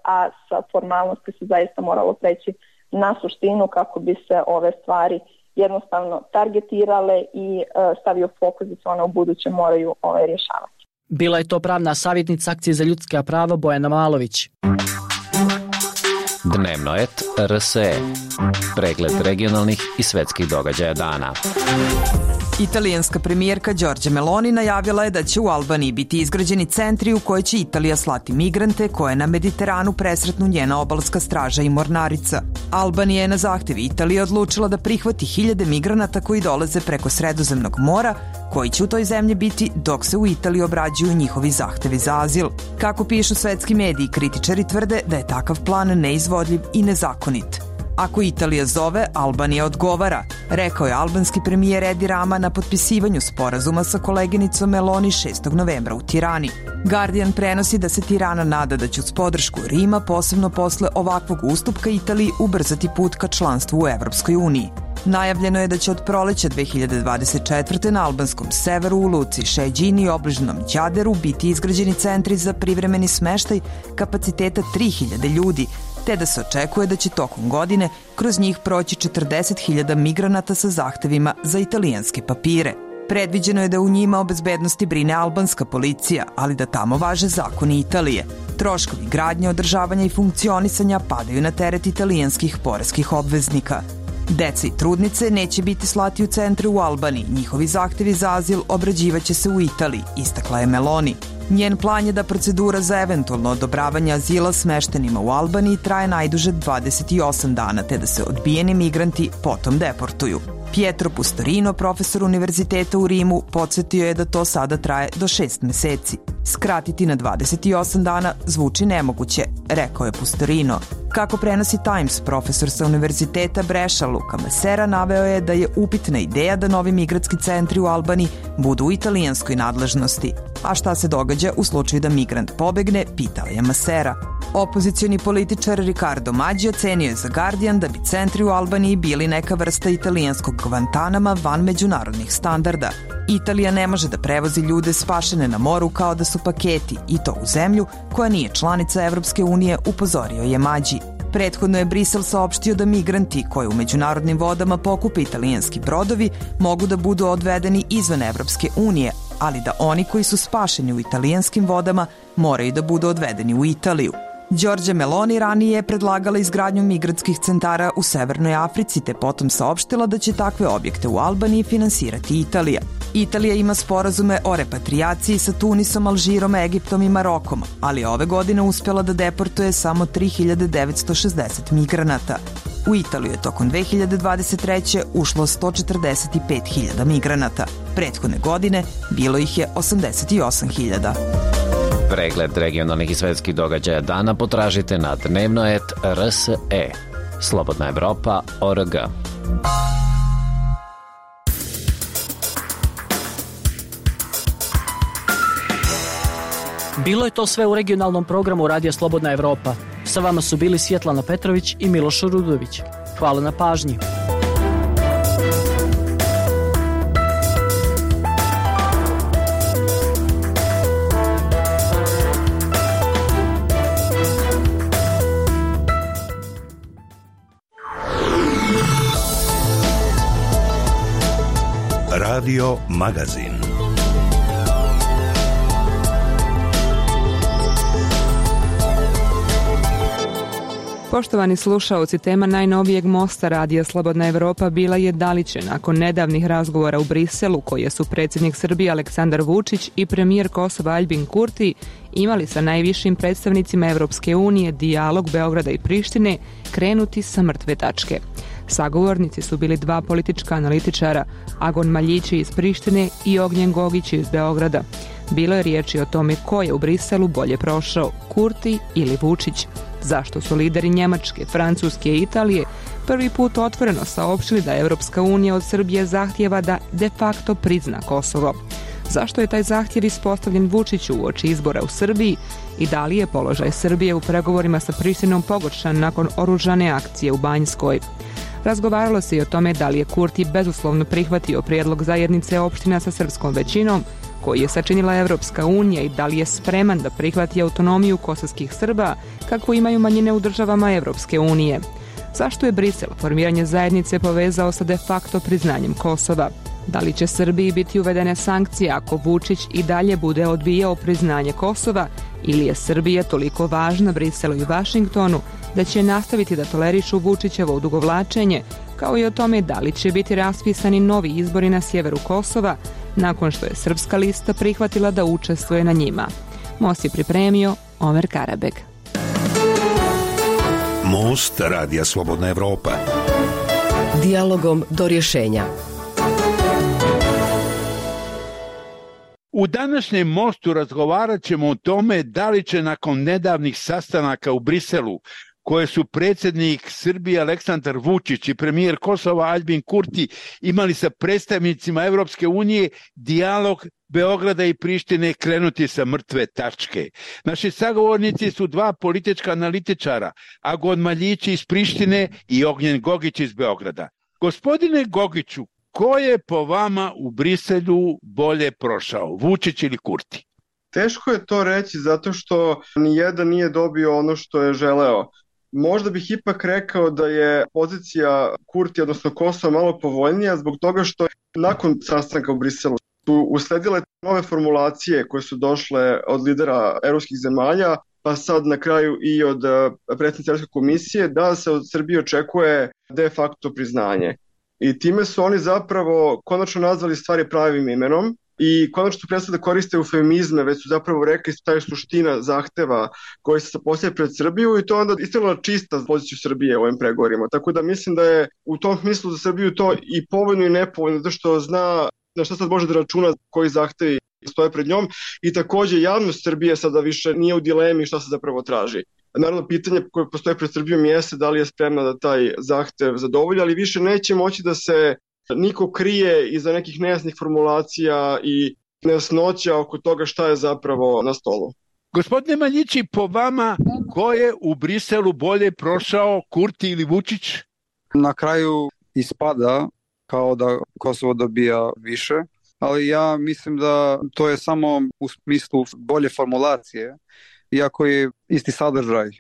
a sa formalnosti se zaista moralo preći na suštinu kako bi se ove stvari jednostavno targetirale i stavio fokus da se one u buduće moraju rješavati. Bila je to pravna savjetnica Akcije za ljudska prava Bojana Malović. Dnevnoet RSE. Pregled regionalnih i svetskih događaja dana. Italijanska premijerka Giorgia Meloni najavila je da će u Albaniji biti izgrađeni centri u koje će Italija slati migrante koje na Mediteranu presretnu njena obalska straža i mornarica. Albanija je na zahtev Italije odlučila da prihvati 1000 migranata koji dolaze preko Sredozemnog mora, koji će u toj zemlji biti dok se u Italiji obrađuju njihovi zahtevi za azil. Kako pišu svetski mediji, kritičari tvrde da je takav plan neizvodljiv i nezakonit. Ako Italija zove, Albanija odgovara, rekao je albanski premijer Edi Rama na potpisivanju sporazuma sa koleginicom Meloni 6. novembra u Tirani. Guardian prenosi da se Tirana nada da će uz podršku Rima, posebno posle ovakvog ustupka Italiji, ubrzati put ka članstvu u Evropskoj uniji. Najavljeno je da će od proleća 2024. na albanskom severu u luci Šeđini i obližnom Đaderu biti izgrađeni centri za privremeni smeštaj kapaciteta 3000 ljudi, te da se očekuje da će tokom godine kroz njih proći 40.000 migranata sa zahtevima za italijanske papire. Predviđeno je da u njima o bezbednosti brine albanska policija, ali da tamo važe zakoni Italije. Troškovi gradnje, održavanja i funkcionisanja padaju na teret italijanskih poreskih obveznika. Deca i trudnice neće biti slati u centre u Albaniji, njihovi zahtevi za azil obrađivaće se u Italiji, istakla je Meloni. Njen plan je da procedura za eventualno odobravanje azila smeštenima u Albaniji traje najduže 28 dana, te da se odbijeni migranti potom deportuju. Pietro Pustorino, profesor univerziteta u Rimu, podsjetio je da to sada traje do 6 meseci. Skratiti na 28 dana zvuči nemoguće, rekao je Pustorino. Kako prenosi Times, profesor sa univerziteta Breša Luka Masera naveo je da je upitna ideja da novi migratski centri u Albaniji budu u italijanskoj nadležnosti. A šta se događa u slučaju da migrant pobegne, pitao je Masera. Opozicioni političar Riccardo Maggi ocenio je za Guardian da bi centri u Albaniji bili neka vrsta italijanskog Guantanama van međunarodnih standarda. Italija ne može da prevozi ljude spašene na moru kao da su paketi, i to u zemlju koja nije članica Evropske unije, upozorio je Maggi. Prethodno je Brisel saopštio da migranti koji u međunarodnim vodama pokupe italijanski brodovi mogu da budu odvedeni izvan Evropske unije, ali da oni koji su spašeni u italijanskim vodama moraju da budu odvedeni u Italiju. Giorgia Meloni ranije je predlagala izgradnju migrantskih centara u Severnoj Africi, te potom saopštila da će takve objekte u Albaniji finansirati Italija. Italija ima sporazume o repatrijaciji sa Tunisom, Alžirom, Egiptom i Marokom, ali ove godine uspjela da deportuje samo 3960 migranata. U Italiju je tokom 2023. ušlo 145.000 migranata. Prethodne godine bilo ih je 88.000. Pregled regionalnih i svetskih događaja dana potražite na Dnevnoet RSE. Slobodna Evropa.org. Bilo je to sve u regionalnom programu Radija Slobodna Evropa. Sa vama su bili Svjetlana Petrović i Miloš Rudović. Hvala na pažnji. Radio Magazin. Poštovani slušaoci, tema najnovijeg mosta Radija Slobodna Evropa bila je da li će nakon nedavnih razgovora u Briselu, koje su predsjednik Srbije Aleksandar Vučić i premijer Kosova Aljbin Kurti imali sa najvišim predstavnicima Evropske unije dijalog Beograda i Prištine, krenuti sa mrtve tačke. Sagovornici su bili dva politička analitičara, Agon Maljići iz Prištine i Ognjen Gogić iz Beograda. Bilo je riječi o tome ko je u Briselu bolje prošao, Kurti ili Vučić. Zašto su lideri Njemačke, Francuske i Italije prvi put otvoreno saopštili da Evropska unija od Srbije zahtjeva da de facto prizna Kosovo? Zašto je taj zahtjev ispostavljen Vučiću uoči izbora u Srbiji i da li je položaj Srbije u pregovorima sa Prištinom pogoršan nakon oružane akcije u Banjskoj? Razgovaralo se i o tome da li je Kurti bezuslovno prihvatio prijedlog zajednice opština sa srpskom većinom, koji je sačinila Evropska unija, i da li je spreman da prihvati autonomiju kosovskih Srba, kako imaju manjine u državama Evropske unije. Zašto je Brisel formiranje zajednice povezao sa de facto priznanjem Kosova? Da li će Srbiji biti uvedene sankcije ako Vučić i dalje bude odbijao priznanje Kosova, ili je Srbija toliko važna Briselu i Vašingtonu da će nastaviti da tolerišu Vučićevo odugovlačenje, kao i o tome da li će biti raspisani novi izbori na sjeveru Kosova, nakon što je srpska lista prihvatila da učestvuje na njima. Most je pripremio Omer Karabeg. Most Radija Slobodna Evropa. Dijalogom do rješenja. U današnjem mostu razgovarat ćemo o tome da li će nakon nedavnih sastanaka u Briselu, koje su predsjednik Srbije Aleksandar Vučić i premijer Kosova Aljbin Kurti imali sa predstavnicima Evropske unije, dijalog Beograda i Prištine krenuti sa mrtve tačke. Naši sagovornici su dva politička analitičara, Agon Maljići iz Prištine i Ognjen Gogić iz Beograda. Gospodine Gogiću, ko je po vama u Briselu bolje prošao, Vučić ili Kurti? Teško je to reći zato što nijedan nije dobio ono što je želeo. Možda bih ipak rekao da je pozicija Kurti, odnosno Kosova, malo povoljnija zbog toga što nakon sastanka u Briselu su usledile nove formulacije koje su došle od lidera evropskih zemalja, pa sad na kraju i od predsjednice Evropske komisije, da se od Srbije očekuje de facto priznanje. I time su oni zapravo konačno nazvali stvari pravim imenom i konačno su prestali da koriste eufemizme, već su zapravo rekli šta je suština zahteva koji se postavlja pred Srbiju, i to onda iskreno čista poziciju Srbije u ovim pregovorima. Tako da mislim da je u tom smislu za Srbiju to i povoljno i nepovoljno, zato što zna na šta sad može da računa, koji zahtevi stoje pred njom, i takođe javnost Srbije sada više nije u dilemi šta se zapravo traži. Naravno, pitanje koje postoje pred Srbijom jeste da li je spremna da taj zahtev zadovolji, ali više neće moći da se niko krije iza nekih nejasnih formulacija i nejasnoća oko toga šta je zapravo na stolu. Gospodine Maljići, po vama, ko je u Briselu bolje prošao, Kurti ili Vučić? Na kraju ispada kao da Kosovo dobija više, ali ja mislim da to je samo u smislu bolje formulacije, iako je isti sadržaj.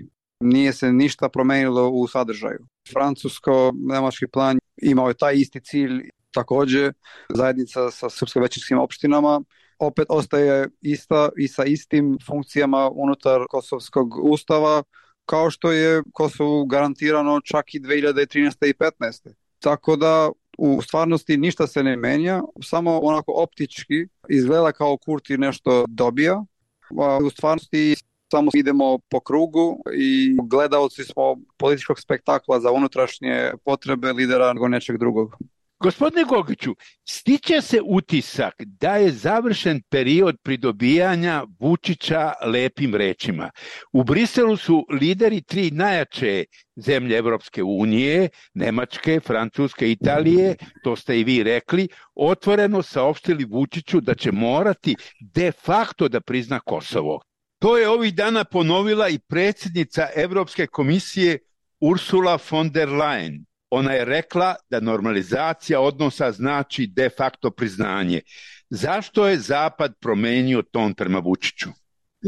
Nije se ništa promenilo u sadržaju. Francusko-nemački plan imao je taj isti cilj, također zajednica sa srpsko-većinskim opštinama opet ostaje ista i sa istim funkcijama unutar kosovskog ustava, kao što je Kosovu garantirano čak i 2013. i 2015. Tako da u stvarnosti ništa se ne menja, samo onako optički izgleda kao Kurti nešto dobija, a u stvarnosti samo idemo po krugu i gledaoci smo političkog spektakla za unutrašnje potrebe lidera nego nečeg drugog. Gospodine Gogiću, stiče se utisak da je završen period pridobijanja Vučića lepim rečima. U Briselu su lideri tri najjače zemlje Evropske unije, Nemačke, Francuske, Italije, to ste i vi rekli, otvoreno saopštili Vučiću da će morati de facto da prizna Kosovo. To je ovih dana ponovila i predsjednica Evropske komisije Ursula von der Leyen. Ona je rekla da normalizacija odnosa znači de facto priznanje. Zašto je Zapad promenio ton prema Vučiću?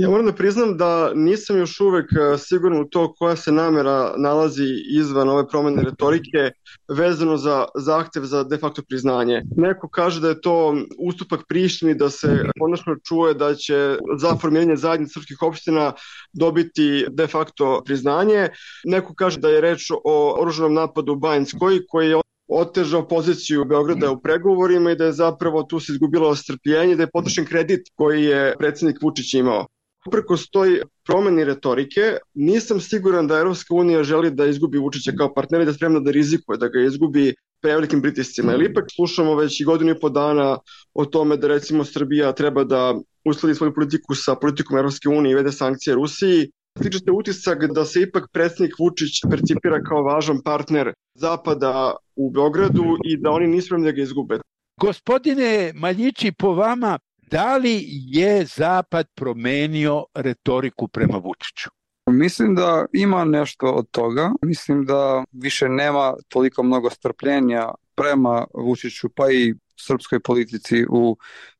Ja moram da priznam da nisam još uvek siguran u to koja se namera nalazi izvan ove promene retorike vezano za zahtev za de facto priznanje. Neko kaže da je to ustupak Prištini, da se konačno čuje da će za formiranje zajednice srpskih opština dobiti de facto priznanje. Neko kaže da je reč o oružanom napadu u Banjskoj koji je otežao poziciju Beograda u pregovorima i da je zapravo tu se izgubilo strpljenje, da je potrošen kredit koji je predsjednik Vučić imao. Uprkos toj promeni retorike, nisam siguran da Evropska unija želi da izgubi Vučića kao partnera i da je spremna da rizikuje, da ga izgubi prevelikim pritiscima. Jer ipak slušamo već i godinu i po dana o tome da recimo Srbija treba da uskladi svoju politiku sa politikom Evropske unije i vede sankcije Rusiji. Stiče se utisak da se ipak predsjednik Vučić percipira kao važan partner Zapada u Beogradu i da oni nisu spremni da ga izgube. Gospodine Maljići, po vama, da li je Zapad promenio retoriku prema Vučiću? Mislim da ima nešto od toga. Mislim da više nema toliko mnogo strpljenja prema Vučiću pa i srpskoj politici u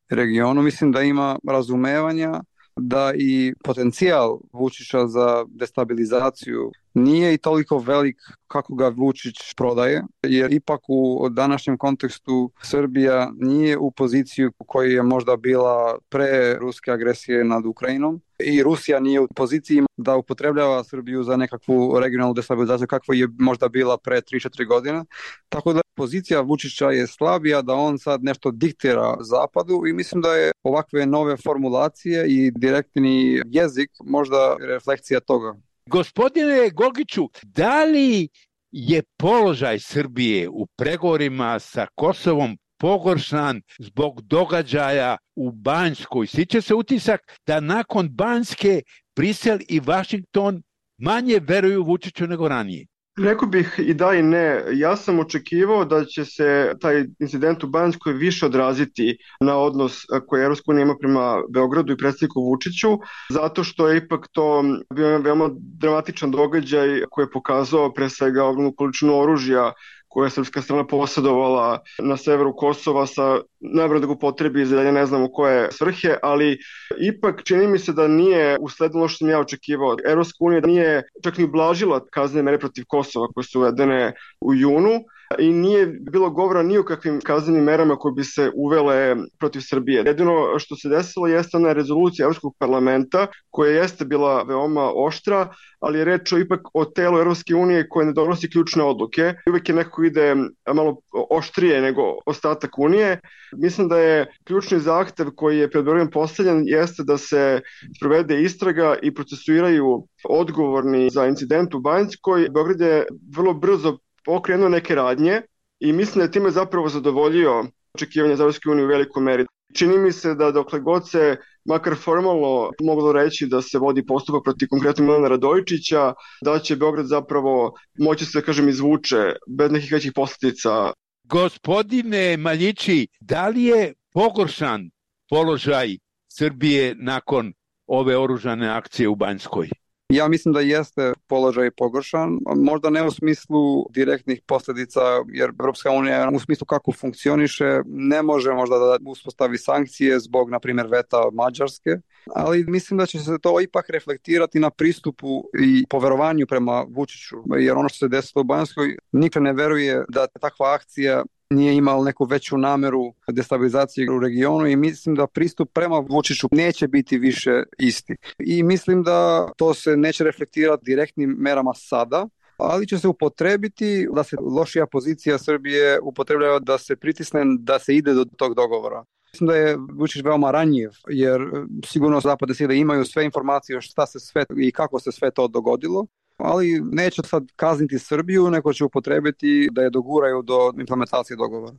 regionu. Mislim da ima razumevanja da i potencijal Vučića za destabilizaciju nije i toliko velik kako ga Vučić prodaje, jer ipak u današnjem kontekstu Srbija nije u poziciju u kojoj je možda bila pre ruske agresije nad Ukrajinom i Rusija nije u poziciji da upotrebljava Srbiju za nekakvu regionalnu destabilizaciju kakva je možda bila pre 3-4 godine. Tako da pozicija Vučića je slabija, da on sad nešto diktira Zapadu i mislim da je ovakve nove formulacije i direktni jezik možda refleksija toga. Gospodine Gogiću, da li je položaj Srbije u pregovorima sa Kosovom pogoršan zbog događaja u Banjskoj? Stiče se utisak da nakon Banjske Brisel i Vašington manje veruju Vučiću nego ranije. Rekao bih i da i ne. Ja sam očekivao da će se taj incident u Banjskoj više odraziti na odnos koji Evropska unija ima prema Beogradu i predsjedniku Vučiću, zato što je ipak to bio veoma dramatičan događaj koji je pokazao pre svega ogromnu količinu oružja koje je srpska strana posjedovala na severu Kosova sa najbolje da ga upotrebi za dalje ne znamo koje svrhe, ali ipak čini mi se da nije usledilo što sam ja očekivao. Evropska unija nije čak ni ublažila kaznene mere protiv Kosova koje su uvedene u junu i nije bilo govora ni o kakvim kaznenim merama koje bi se uvele protiv Srbije. Jedino što se desilo jeste ona rezolucija Evropskog parlamenta koja jeste bila veoma oštra, ali je reč ipak o telu Evropske unije koje ne donosi ključne odluke. Uvijek je neko ide malo oštrije nego ostatak unije. Mislim da je ključni zahtev koji je pred Beogradom postavljen jeste da se sprovede istraga i procesuiraju odgovorni za incident u Banjskoj. Beograd je vrlo brzo pokrenuo neke radnje i mislim da je time zapravo zadovoljio očekivanja za Evropske unije u velikoj meri. Čini mi se da dokle god se makar formalno moglo reći da se vodi postupak protiv konkretno Milana Radojičića, da će Beograd zapravo moći se, kažem, izvuče bez nekih većih posljedica. Gospodine Maljići, da li je pogoršan položaj Srbije nakon ove oružane akcije u Banjskoj? Ja mislim da jeste položaj pogoršan, možda ne u smislu direktnih posljedica, jer Evropska unija u smislu kako funkcioniše ne može možda da uspostavi sankcije zbog, na primjer, veta Mađarske, ali mislim da će se to ipak reflektirati na pristupu i poverovanju prema Vučiću, jer ono što se desilo u Banjskoj, niko ne veruje da takva akcija nije imala neku veću nameru destabilizacije u regionu i mislim da pristup prema Vučiću neće biti više isti. I mislim da to se neće reflektirati direktnim merama sada, ali će se upotrebiti da se lošija pozicija Srbije upotrebljava da se pritisne da se ide do tog dogovora. Mislim da je Vučić veoma ranjiv, jer sigurno zapadne sile imaju sve informacije šta se sve i kako se sve to dogodilo, ali neće sad kazniti Srbiju, nego će upotrebiti da je doguraju do implementacije dogovora.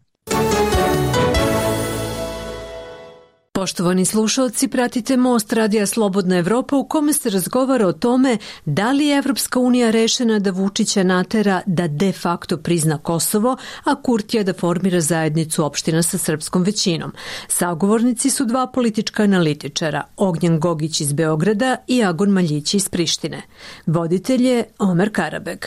Poštovani slušalci, pratite Most Radija Slobodna Evropa u kome se razgovara o tome da li je Evropska unija rešena da Vučića natera da de facto prizna Kosovo, a Kurtija da formira zajednicu opština sa srpskom većinom. Sagovornici su dva politička analitičara, Ognjen Gogić iz Beograda i Agon Maljić iz Prištine. Voditelj je Omer Karabeg.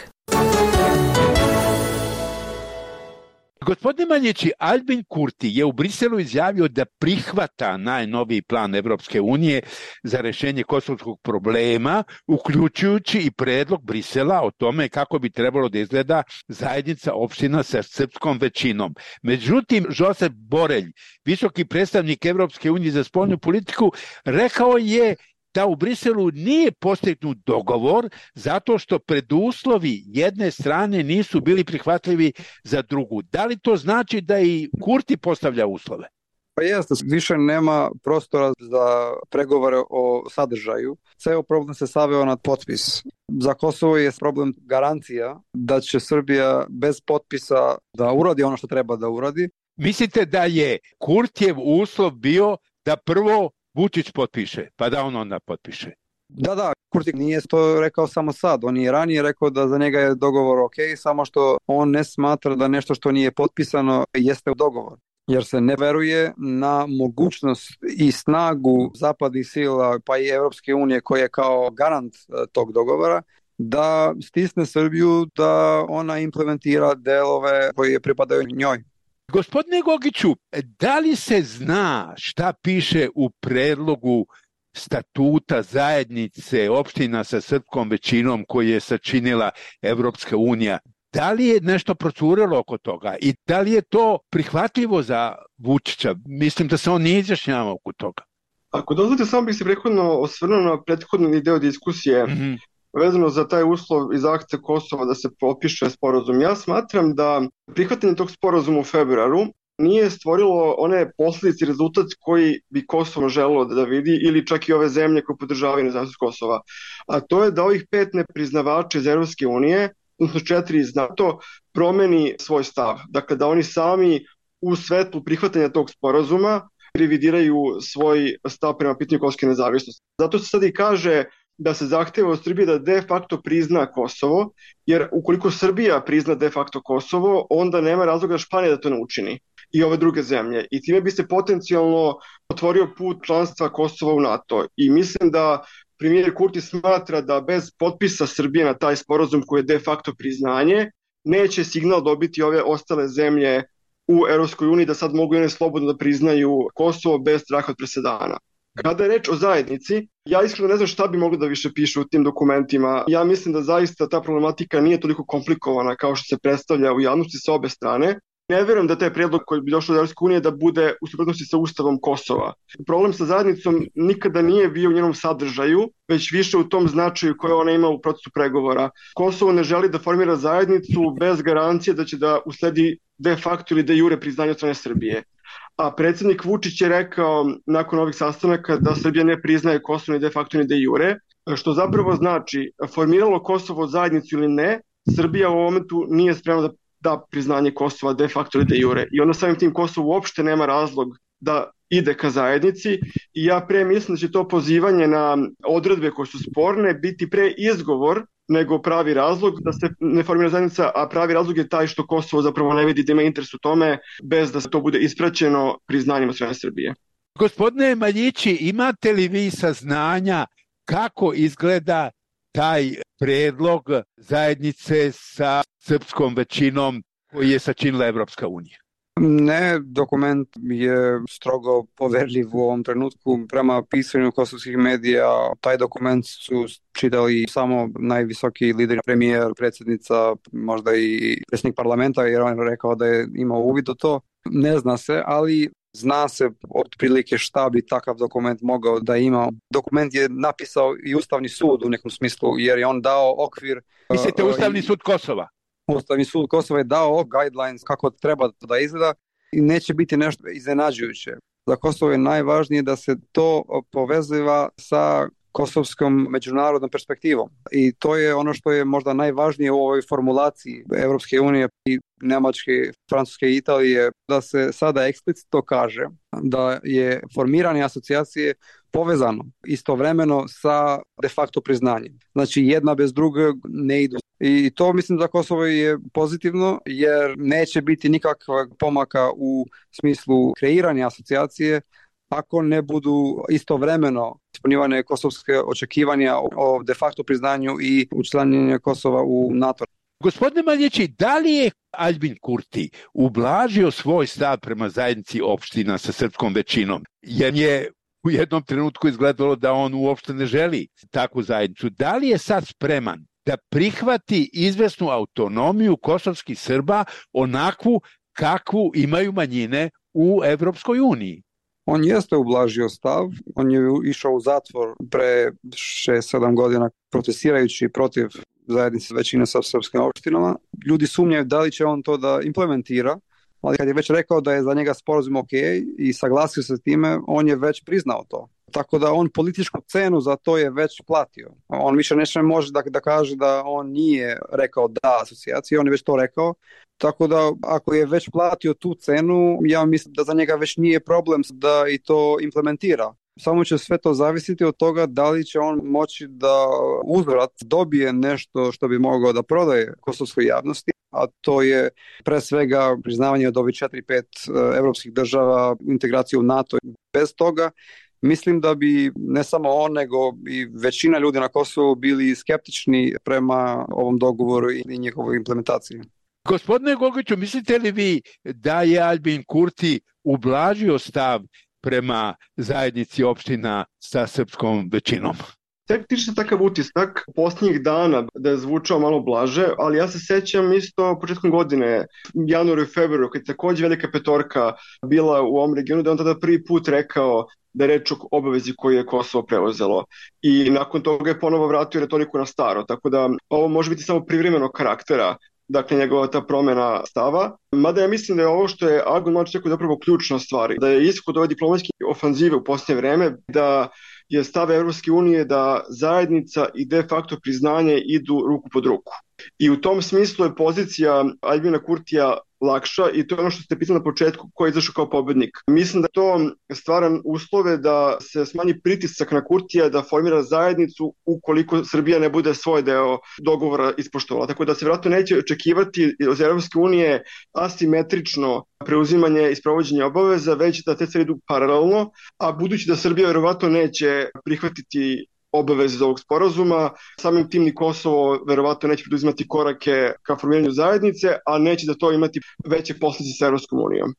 Gospodine Maljići, Albin Kurti je u Briselu izjavio da prihvata najnoviji plan Evropske unije za rešenje kosovskog problema, uključujući i predlog Brisela o tome kako bi trebalo da izgleda zajednica opština sa srpskom većinom. Međutim, Josep Borelj, visoki predstavnik Evropske unije za spoljnu politiku, rekao je da u Briselu nije postignut dogovor zato što preduslovi jedne strane nisu bili prihvatljivi za drugu. Da li to znači da i Kurti postavlja uslove? Pa jeste, više nema prostora za pregovore o sadržaju. Ceo problem se saveo na potpis. Za Kosovo je problem garancija da će Srbija bez potpisa da uradi ono što treba da uradi. Mislite da je Kurtijev uslov bio da prvo Vučić potpiše, pa da on onda potpiše? Da, Kurti nije to rekao samo sad. On je ranije rekao da za njega je dogovor ok, samo što on ne smatra da nešto što nije potpisano jeste u dogovor. Jer se ne veruje na mogućnost i snagu zapadnih sila, pa i Evropske unije koja je kao garant tog dogovora, da stisne Srbiju da ona implementira delove koje pripadaju njoj. Gospodine Gogiću, da li se zna šta piše u predlogu statuta zajednice opština sa srpskom većinom koji je sačinila Evropska unija? Da li je nešto procurelo oko toga i da li je to prihvatljivo za Vučića? Mislim da se on nije izjašnjavao oko toga. Ako dozvolite, samo bih se prethodno osvrnuo na prethodni deo diskusije vezano za taj uslov i zahtev Kosova da se potpiše sporazum. Ja smatram da prihvatanje tog sporazuma u februaru nije stvorilo one posljedice i rezultat koji bi Kosovo želelo da vidi ili čak i ove zemlje koje podržavaju nezavisnost Kosova. A to je da ovih 5 nepriznavača iz Evropske unije, odnosno 4 iz NATO, promeni svoj stav. Dakle, da oni sami u svetlu prihvatanja tog sporazuma revidiraju svoj stav prema pitanju kosovske nezavisnosti. Zato se sad i kaže da se zahteva od Srbije da de facto prizna Kosovo, jer ukoliko Srbija prizna de facto Kosovo, onda nema razloga Španija da to ne učini i ove druge zemlje. I time bi se potencijalno otvorio put članstva Kosova u NATO. I mislim da premijer Kurti smatra da bez potpisa Srbije na taj sporazum koji je de facto priznanje, neće signal dobiti ove ostale zemlje u Evropskoj uniji da sad mogu one slobodno da priznaju Kosovo bez straha od presedana. Kada je reč o zajednici, ja iskreno ne znam šta bi moglo da više piše u tim dokumentima. Ja mislim da zaista ta problematika nije toliko komplikovana kao što se predstavlja u javnosti sa obe strane. Ne verujem da taj prijedlog koji bi došao od Evropske unije da bude u suprotnosti sa Ustavom Kosova. Problem sa zajednicom nikada nije bio u njenom sadržaju, već više u tom značaju koje ona ima u procesu pregovora. Kosovo ne želi da formira zajednicu bez garancije da će da usledi de facto ili de jure priznanje od strane Srbije. A predsjednik Vučić je rekao nakon ovih sastanaka da Srbija ne priznaje Kosovo ni de facto ni de jure, što zapravo znači formiralo Kosovo zajednicu ili ne, Srbija u ovom momentu nije spremna da priznanje Kosova de facto ili de jure. I onda samim tim Kosovo uopšte nema razlog da ide ka zajednici i ja pre mislim da će to pozivanje na odredbe koje su sporne biti pre izgovor nego pravi razlog da se ne formira zajednica, a pravi razlog je taj što Kosovo zapravo ne vidi da ima interes u tome bez da se to bude ispraćeno priznanjem od strane Srbije. Gospodine Maljići, imate li vi saznanja kako izgleda taj predlog zajednice sa srpskom većinom koji je sačinila Evropska unija? Ne, dokument je strogo poverljiv u ovom trenutku. Prema pisanju kosovskih medija, taj dokument su čitali samo najvisoki lideri, premijer, predsjednica, možda i predsjednik parlamenta, jer on je rekao da je imao uvid u to. Ne zna se, ali zna se otprilike šta bi takav dokument mogao da ima. Dokument je napisao i Ustavni sud u nekom smislu, jer je on dao okvir. Mislite Ustavni sud Kosova? Ustavni sud Kosova je dao guidelines kako treba da izgleda i neće biti nešto iznenađujuće. Za Kosovo je najvažnije da se to poveziva sa kosovskom međunarodnom perspektivom. I to je ono što je možda najvažnije u ovoj formulaciji Evropske unije i Nemačke, Francuske i Italije, da se sada eksplicitno kaže da je formiranje asocijacije povezano istovremeno sa de facto priznanjem. Znači jedna bez druge ne idu. I to mislim da Kosovo je pozitivno jer neće biti nikakvog pomaka u smislu kreiranja asocijacije ako ne budu istovremeno ispunjivane kosovske očekivanja o de facto priznanju i učlanjenju Kosova u NATO. Gospodine Maljići, da li je Aljbin Kurti ublažio svoj stav prema zajednici opština sa srpskom većinom? Jer je u jednom trenutku izgledalo da on uopšte ne želi takvu zajednicu. Da li je sad spreman da prihvati izvesnu autonomiju kosovskih Srba onakvu kakvu imaju manjine u Evropskoj uniji? On jeste ublažio stav, on je išao u zatvor pre 6-7 godina protestirajući protiv zajednice većine sa srpskim opštinama. Ljudi sumnjaju da li će on to da implementira, ali kad je već rekao da je za njega sporazum ok i saglasio se s time, on je već priznao to. Tako da on političku cenu za to je već platio. On više ne može da kaže da on nije rekao da asocijaciji, on je već to rekao. Tako da ako je već platio tu cenu, ja mislim da za njega već nije problem da i to implementira. Samo će sve to zavisiti od toga da li će on moći da uzvrat dobije nešto što bi mogao da prodaje kosovskoj javnosti, a to je pre svega priznavanje od ovih 4-5 evropskih država, integraciju u NATO. Bez toga mislim da bi ne samo on, nego i većina ljudi na Kosovu bili skeptični prema ovom dogovoru i njihovoj implementaciji. Gospodine Gogiću, mislite li vi da je Aljbin Kurti ublažio stav prema zajednici opština sa srpskom većinom? Tek tiče se takav utisak posljednjih dana da je zvučao malo blaže, ali ja se sećam isto početkom godine, januaru i februaru, kad je takođe velika petorka bila u ovom regionu, da on tada prvi put rekao da je reč o obavezi koju je Kosovo preuzelo. I nakon toga je ponovo vratio retoriku na staro, tako da ovo može biti samo privremenog karaktera, dakle njegova ta promjena stava. Mada ja mislim da je ovo što je Agon Mladić rekao zapravo ključna stvar, da je ishod ove diplomatske ofanzive u posljednje vreme, da je stav Evropske unije da zajednica i de facto priznanje idu ruku pod ruku. I u tom smislu je pozicija Aljbina Kurtija lakša i to je ono što ste pitali na početku, ko je izašao kao pobednik. Mislim da to stvara uslove da se smanji pritisak na Kurtija da formira zajednicu ukoliko Srbija ne bude svoj deo dogovora ispoštovala. Tako da se vjerojatno neće očekivati od Evropske unije asimetrično preuzimanje i sprovođenje obaveza, već da te stvari idu paralelno, a budući da Srbija vjerovatno neće prihvatiti obaveze iz ovog sporazuma, samim tim ni Kosovo verovatno neće preduzimati korake ka formiranju zajednice, a neće da to imati veće posljedice sa Evropskom unijom.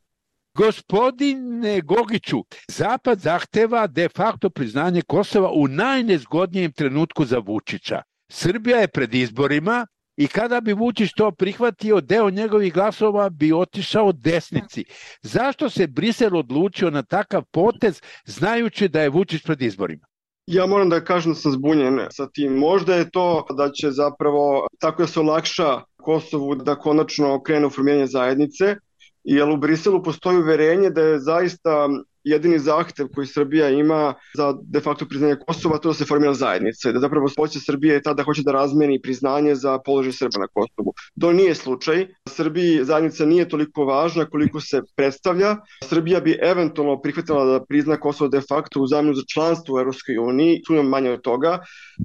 Gospodine Gogiću, Zapad zahteva de facto priznanje Kosova u najnezgodnijem trenutku za Vučića. Srbija je pred izborima i kada bi Vučić to prihvatio, deo njegovih glasova bi otišao desnici. Zašto se Brisel odlučio na takav potez, znajući da je Vučić pred izborima? Ja moram da kažem da sam zbunjen sa tim. Možda je to da će zapravo tako da se olakša Kosovu da konačno krene u formiranje zajednice, jer u Briselu postoji uverenje da je zaista jedini zahtev koji Srbija ima za de facto priznanje Kosova to da se formira zajednica. Da zapravo hoće Srbije je tada hoće da razmeni priznanje za položaj Srba na Kosovu. To nije slučaj. Srbiji zajednica nije toliko važna koliko se predstavlja. Srbija bi eventualno prihvatila da prizna Kosovo de facto u zamenu za članstvo u Evropskoj uniji, tu nema manje od toga.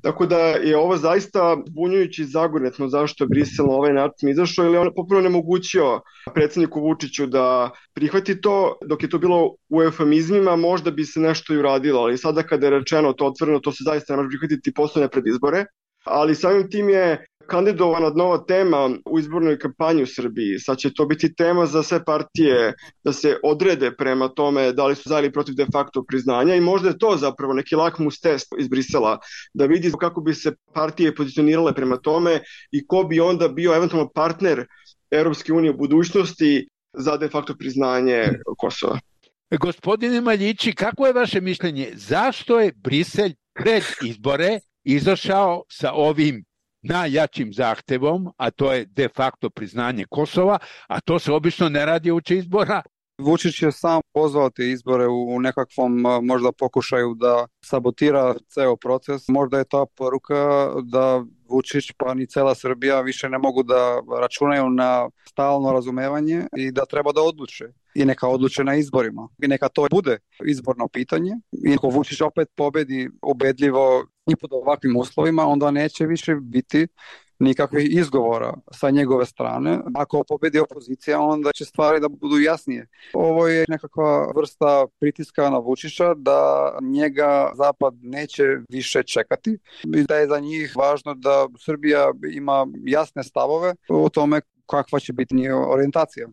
Tako da je ovo zaista bunjujući zagornetno zašto je Brisel na ovaj način izašao, ili on potpuno nemogućio predsjedniku Vučiću da prihvati to, dok je to bilo u eufemizmima, možda bi se nešto i uradilo, ali sada kada je rečeno to otvoreno, to se zaista ne može prihvatiti poslednje pred izbore, ali samim tim je kandidovana nova tema u izbornoj kampanji u Srbiji. Sad će to biti tema za sve partije da se odrede prema tome da li su za ili protiv de facto priznanja i možda je to zapravo neki lakmus test iz Brisela da vidi kako bi se partije pozicionirale prema tome i ko bi onda bio eventualno partner Evropske unije u budućnosti za de facto priznanje Kosova. Gospodine Maljići, kako je vaše mišljenje? Zašto je Brisel pred izbore izašao sa ovim najjačim zahtevom, a to je de facto priznanje Kosova, a to se obično ne radi uoči izbora? Vučić je sam pozvao te izbore u nekakvom možda pokušaju da sabotira ceo proces. Možda je ta poruka da Vučić pa ni cela Srbija više ne mogu da računaju na stalno razumevanje i da treba da odluče. I neka odluče na izborima. I neka to bude izborno pitanje. I ako Vučić opet pobedi ubedljivo i pod ovakvim uslovima, onda neće više biti nikakvih izgovora sa njegove strane. Ako pobedi opozicija, onda će stvari da budu jasnije. Ovo je nekakva vrsta pritiska na Vučića da njega Zapad neće više čekati i da je za njih važno da Srbija ima jasne stavove o tome kakva će biti njihova orijentacija.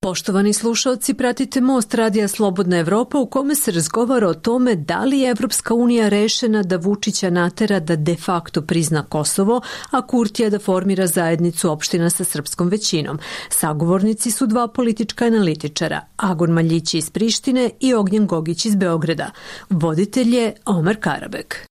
Poštovani slušalci, pratite Most Radija Slobodna Evropa u kome se razgovara o tome da li je Evropska unija rešena da Vučića natera da de facto prizna Kosovo, a Kurtija da formira zajednicu opština sa srpskom većinom. Sagovornici su dva politička analitičara, Agon Maljić iz Prištine i Ognjen Gogić iz Beograda. Voditelj je Omer Karabek.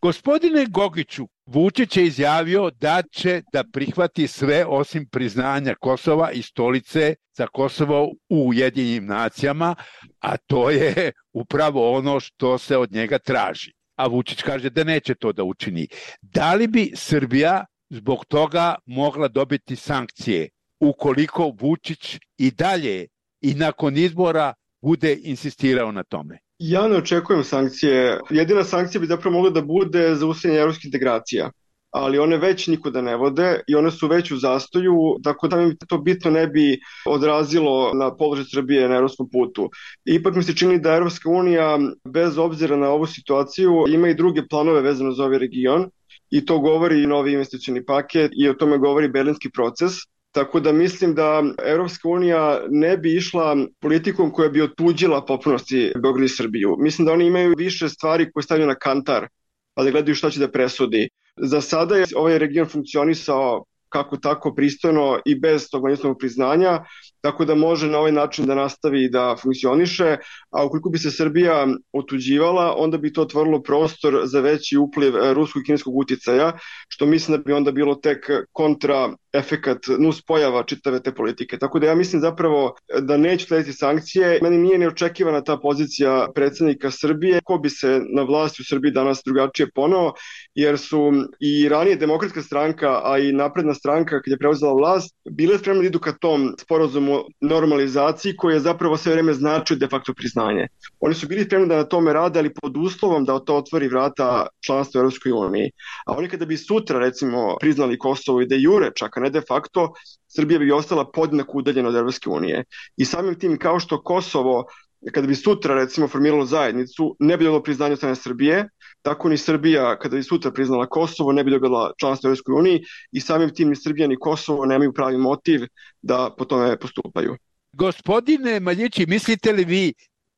Gospodine Gogiću, Vučić je izjavio da će da prihvati sve osim priznanja Kosova i stolice za Kosovo u Ujedinjenim nacijama, a to je upravo ono što se od njega traži. A Vučić kaže da neće to da učini. Da li bi Srbija zbog toga mogla dobiti sankcije ukoliko Vučić i dalje i nakon izbora bude insistirao na tome? Ja ne očekujem sankcije. Jedina sankcija bi zapravo mogla da bude zaustavljanje evropskih integracija, ali one već nikuda ne vode i one su već u zastoju, tako da mi to bitno ne bi odrazilo na položaj Srbije na evropskom putu. Ipak mi se čini da Evropska unija, bez obzira na ovu situaciju, ima i druge planove vezano za ovaj region i to govori i novi investicioni paket i o tome govori berlinski proces. Tako da mislim da Evropska unija ne bi išla politikom koja bi otuđila popunosti Beograd i Srbiju. Mislim da oni imaju više stvari koje stavljaju na kantar, a da gledaju šta će da presudi. Za sada je ovaj region funkcionisao kako tako pristojno i bez tog međusobnog priznanja, tako da može na ovaj način da nastavi da funkcioniše, a ukoliko bi se Srbija otuđivala, onda bi to otvorilo prostor za veći upliv ruskog i kineskog uticaja, što mislim da bi onda bilo tek kontra efekat nuspojava čitave te politike. Tako da ja mislim zapravo da neće slediti sankcije. Meni nije neočekivana ta pozicija predsjednika Srbije. Ko bi se na vlasti u Srbiji danas drugačije poneo, jer su i ranije Demokratska stranka, a i Napredna stranka kad je preuzela vlast, bile spremne da idu ka tom sporazumu normalizaciji koji je zapravo sve vreme značio de facto priznanje. Oni su bili spremni da na tome rade, ali pod uslovom da to otvori vrata članstva u Europskoj uniji. A oni kada bi sutra recimo priznali Kosovo i de jure, čak ne de facto, Srbija bi ostala podjednako udaljena od Evropske unije. I samim tim kao što Kosovo, kada bi sutra recimo formiralo zajednicu, ne bi dobilo priznanje od strane Srbije, tako ni Srbija kada bi sutra priznala Kosovo ne bi dobila članstvo u Evropskoj uniji i samim tim ni Srbija ni Kosovo nemaju pravi motiv da po tome postupaju. Gospodine Maljići, mislite li vi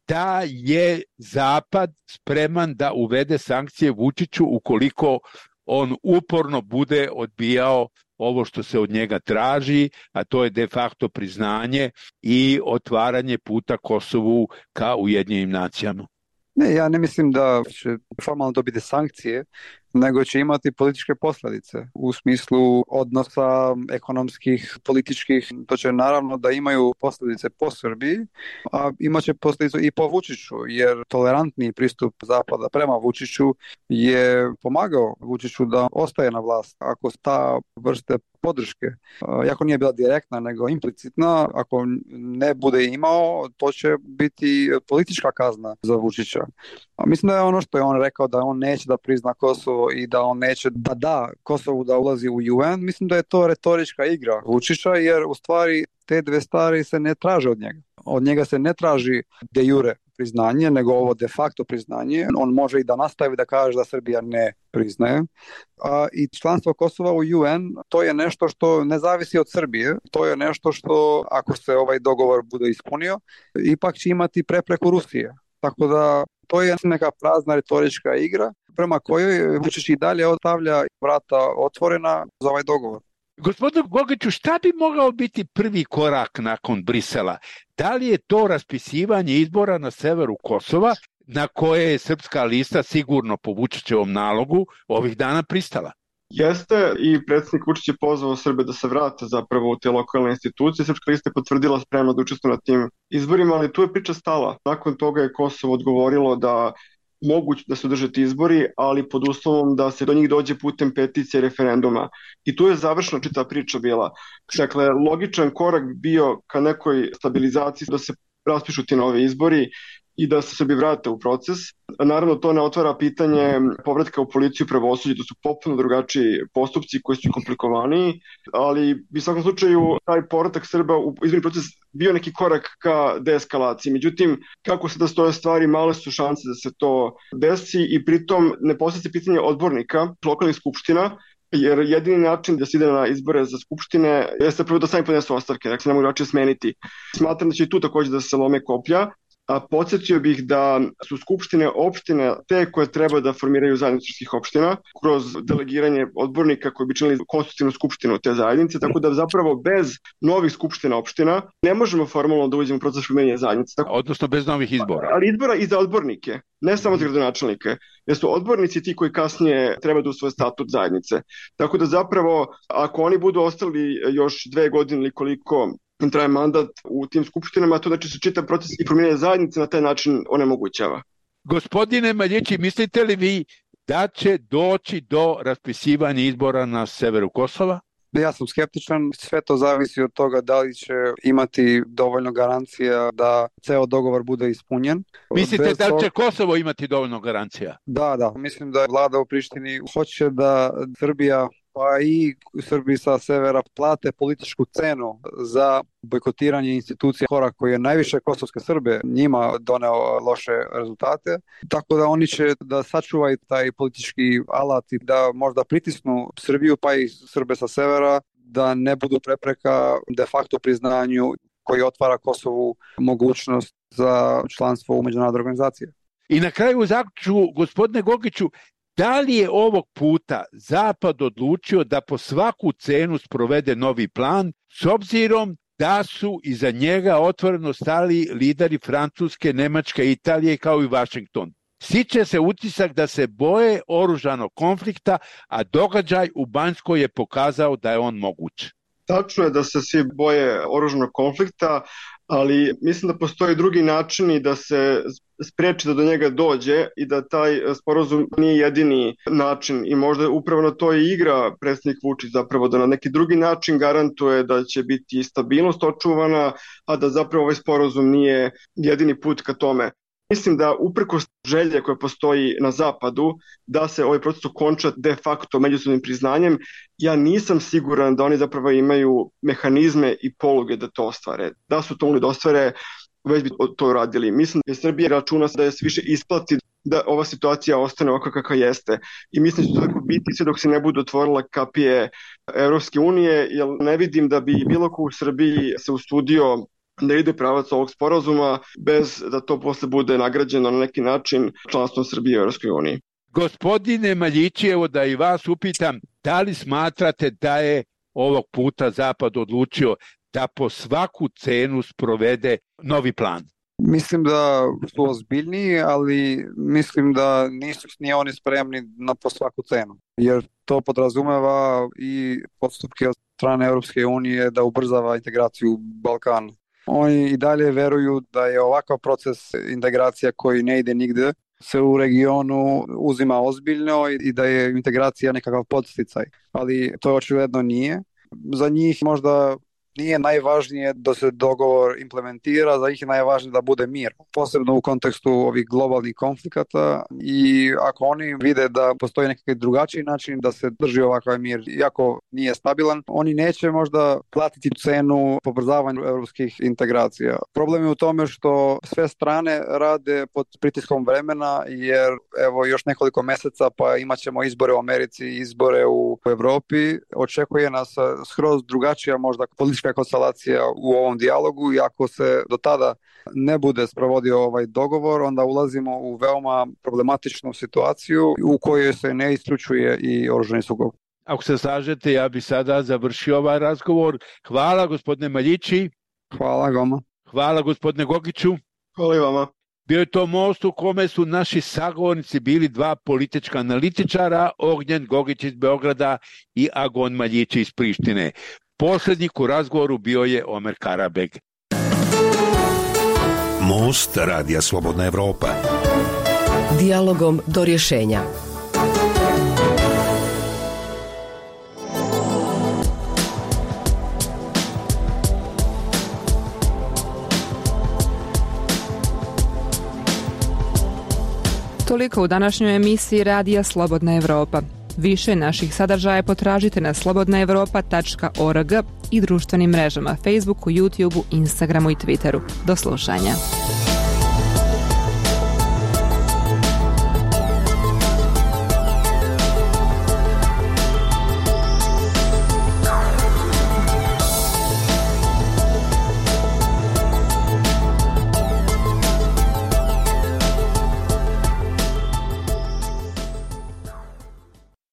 da je Zapad spreman da uvede sankcije Vučiću ukoliko on uporno bude odbijao ovo što se od njega traži, a to je de facto priznanje i otvaranje puta Kosovu ka Ujedinjenim nacijama? Ne, ja ne mislim da će formalno dobiti sankcije, nego će imati političke posljedice u smislu odnosa ekonomskih, političkih. To će naravno da imaju posljedice po Srbiji, a imaće posljedice i po Vučiću, jer tolerantni pristup Zapada prema Vučiću je pomagao Vučiću da ostaje na vlast. Ako ta vrste podrške, jako nije bila direktna nego implicitna, ako ne bude imao, to će biti politička kazna za Vučića. A mislim da je ono što je on rekao, da on neće da prizna Kosovo i da on neće da Kosovu da ulazi u UN, mislim da je to retorička igra Vučića, jer u stvari te dve stvari se ne traže od njega. Od njega se ne traži de jure priznanje, nego ovo de facto priznanje. On može i da nastavi da kaže da Srbija ne priznaje. I članstvo Kosova u UN, to je nešto što ne zavisi od Srbije. To je nešto što, ako se ovaj dogovor bude ispunio, ipak će imati prepreku Rusije. Tako da to je neka prazna retorička igra prema kojoj Vučić i dalje ostavlja vrata otvorena za ovaj dogovor. Gospodine Gogiću, šta bi mogao biti prvi korak nakon Brisela? Da li je to raspisivanje izbora na severu Kosova, na koje je Srpska lista sigurno po Vučićevom nalogu ovih dana pristala? Jeste, i predsjednik Vučić je pozvao Srbe da se vrate zapravo u te lokalne institucije. Srpska lista je potvrdila spremno da učestvuje na tim izborima, ali tu je priča stala. Nakon toga je Kosovo odgovorilo da moguće da se održe ti izbori, ali pod uslovom da se do njih dođe putem peticije referenduma. I tu je završena čitava priča bila. Dakle, logičan korak bio ka nekoj stabilizaciji da se raspišu ti novi izbori i da se sebi vrate u proces. Naravno, to ne otvara pitanje povratka u policiju i pravosuđe, to su potpuno drugačiji postupci koji su komplikovaniji, ali u svakom slučaju taj povratak Srba u izborni proces bio neki korak ka deeskalaciji. Međutim, kako se da stoje stvari, male su šanse da se to desi i pritom ne postavlja se pitanje odbornika lokalnih skupština, jer jedini način da se ide na izbore za skupštine jeste prvo da sami podnesu ostavke, dakle ne mogu drugačije smeniti. Smatram da će i tu takođe da se lome koplja, a podsjetio bih da su skupštine opštine te koje treba da formiraju zajednicu srpskih opština kroz delegiranje odbornika koji bi činili konstitutivnu skupštinu te zajednice, tako da zapravo bez novih skupština opština ne možemo formalno da uđemo u proces formiranja zajednice. Odnosno bez novih izbora. Ali izbora i za odbornike, ne samo za gradonačelnike, jer su odbornici ti koji kasnije treba da usvoje statut zajednice. Tako da zapravo, ako oni budu ostali još 2 godine ili koliko traje mandat u tim skupštinama, to znači se čitav proces i formiranja zajednice na taj način onemogućava. Gospodine Maljići, mislite li vi da će doći do raspisivanja izbora na severu Kosova? Ja sam skeptičan, sve to zavisi od toga da li će imati dovoljno garancija da ceo dogovor bude ispunjen. Mislite da li će Kosovo imati dovoljno garancija? Da, mislim da vlada u Prištini hoće da Srbija pa i Srbiji sa severa plate političku cenu za bojkotiranje institucija korak koji je najviše kosovske Srbe njima doneo loše rezultate. Tako da oni će da sačuvaju taj politički alat i da možda pritisnu Srbiju pa i Srbe sa severa da ne budu prepreka de facto priznanju koji otvara Kosovu mogućnost za članstvo u međunarodnoj organizaciji. I na kraju zaključu, gospodine Gogiću, da li je ovog puta Zapad odlučio da po svaku cenu sprovede novi plan, s obzirom da su iza njega otvoreno stali lideri Francuske, Nemačke, Italije kao i Vašington? Stiče se utisak da se boje oružanog konflikta, a događaj u Banjskoj je pokazao da je on moguć. Tačno je da se svi boje oružanog konflikta, ali mislim da postoji drugi načini da se spreči da do njega dođe i da taj sporazum nije jedini način i možda upravo na to i igra predsjednik Vučić zapravo da na neki drugi način garantuje da će biti stabilnost očuvana, a da zapravo ovaj sporazum nije jedini put ka tome. Mislim da uprkos želje koja postoji na zapadu da se ovaj proces okonča de facto međusobnim priznanjem, ja nisam siguran da oni zapravo imaju mehanizme i poluge da to ostvare. Da su to mogli da ostvare, već bi to uradili. Mislim da Srbija računa da je sve više isplati da ova situacija ostane ovako kakva jeste. I mislim da će to tako biti sve dok se ne budu otvorila kapije Evropske unije, jer ne vidim da bi bilo ko u Srbiji se usudio da ide pravac ovog sporazuma bez da to posle bude nagrađeno na neki način članstvom Srbije u Evropskoj uniji. Gospodine Maljići, evo da i vas upitam, da li smatrate da je ovog puta Zapad odlučio da po svaku cenu sprovede novi plan? Mislim da su ozbiljniji, ali mislim da nisu ni oni spremni na po svaku cenu. Jer to podrazumeva i postupke od strane Evropske unije da ubrzava integraciju Balkana. Oni i dalje veruju da je ovakav proces integracija koji ne ide nigde se u regionu uzima ozbiljno i da je integracija nekakav podsticaj. Ali to očigledno nije. Za njih možda nije najvažnije da se dogovor implementira, za njih je najvažnije da bude mir. Posebno u kontekstu ovih globalnih konflikata i ako oni vide da postoji nekakav drugačiji način da se drži ovakav mir, iako nije stabilan, oni neće možda platiti cenu pobrzavanju evropskih integracija. Problem je u tome što sve strane rade pod pritiskom vremena, jer evo još nekoliko meseca pa imat ćemo izbore u Americi, izbore u Evropi. Očekuje nas skroz drugačija možda politička konstelacija u ovom dijalogu i ako se do tada ne bude sprovodio ovaj dogovor, onda ulazimo u veoma problematičnu situaciju u kojoj se ne isključuje i oružani sukob. Ako se slažete, ja bih sada završio ovaj razgovor. Hvala gospodine Maljići. Hvala Goma. Hvala gospodine Gogiću. Hvala i vama. Bio je to most u kome su naši sagovornici bili dva politička analitičara, Ognjen Gogić iz Beograda i Agon Maljići iz Prištine. Poslednjik u razgovoru bio je Omer Karabeg. Most Radija Slobodna Evropa. Dijalogom do rješenja. toliko u današnjoj emisiji Radija Slobodna Evropa. Više naših sadržaja potražite na slobodnaevropa.org i društvenim mrežama Facebooku, YouTubeu, Instagramu i Twitteru. Do slušanja.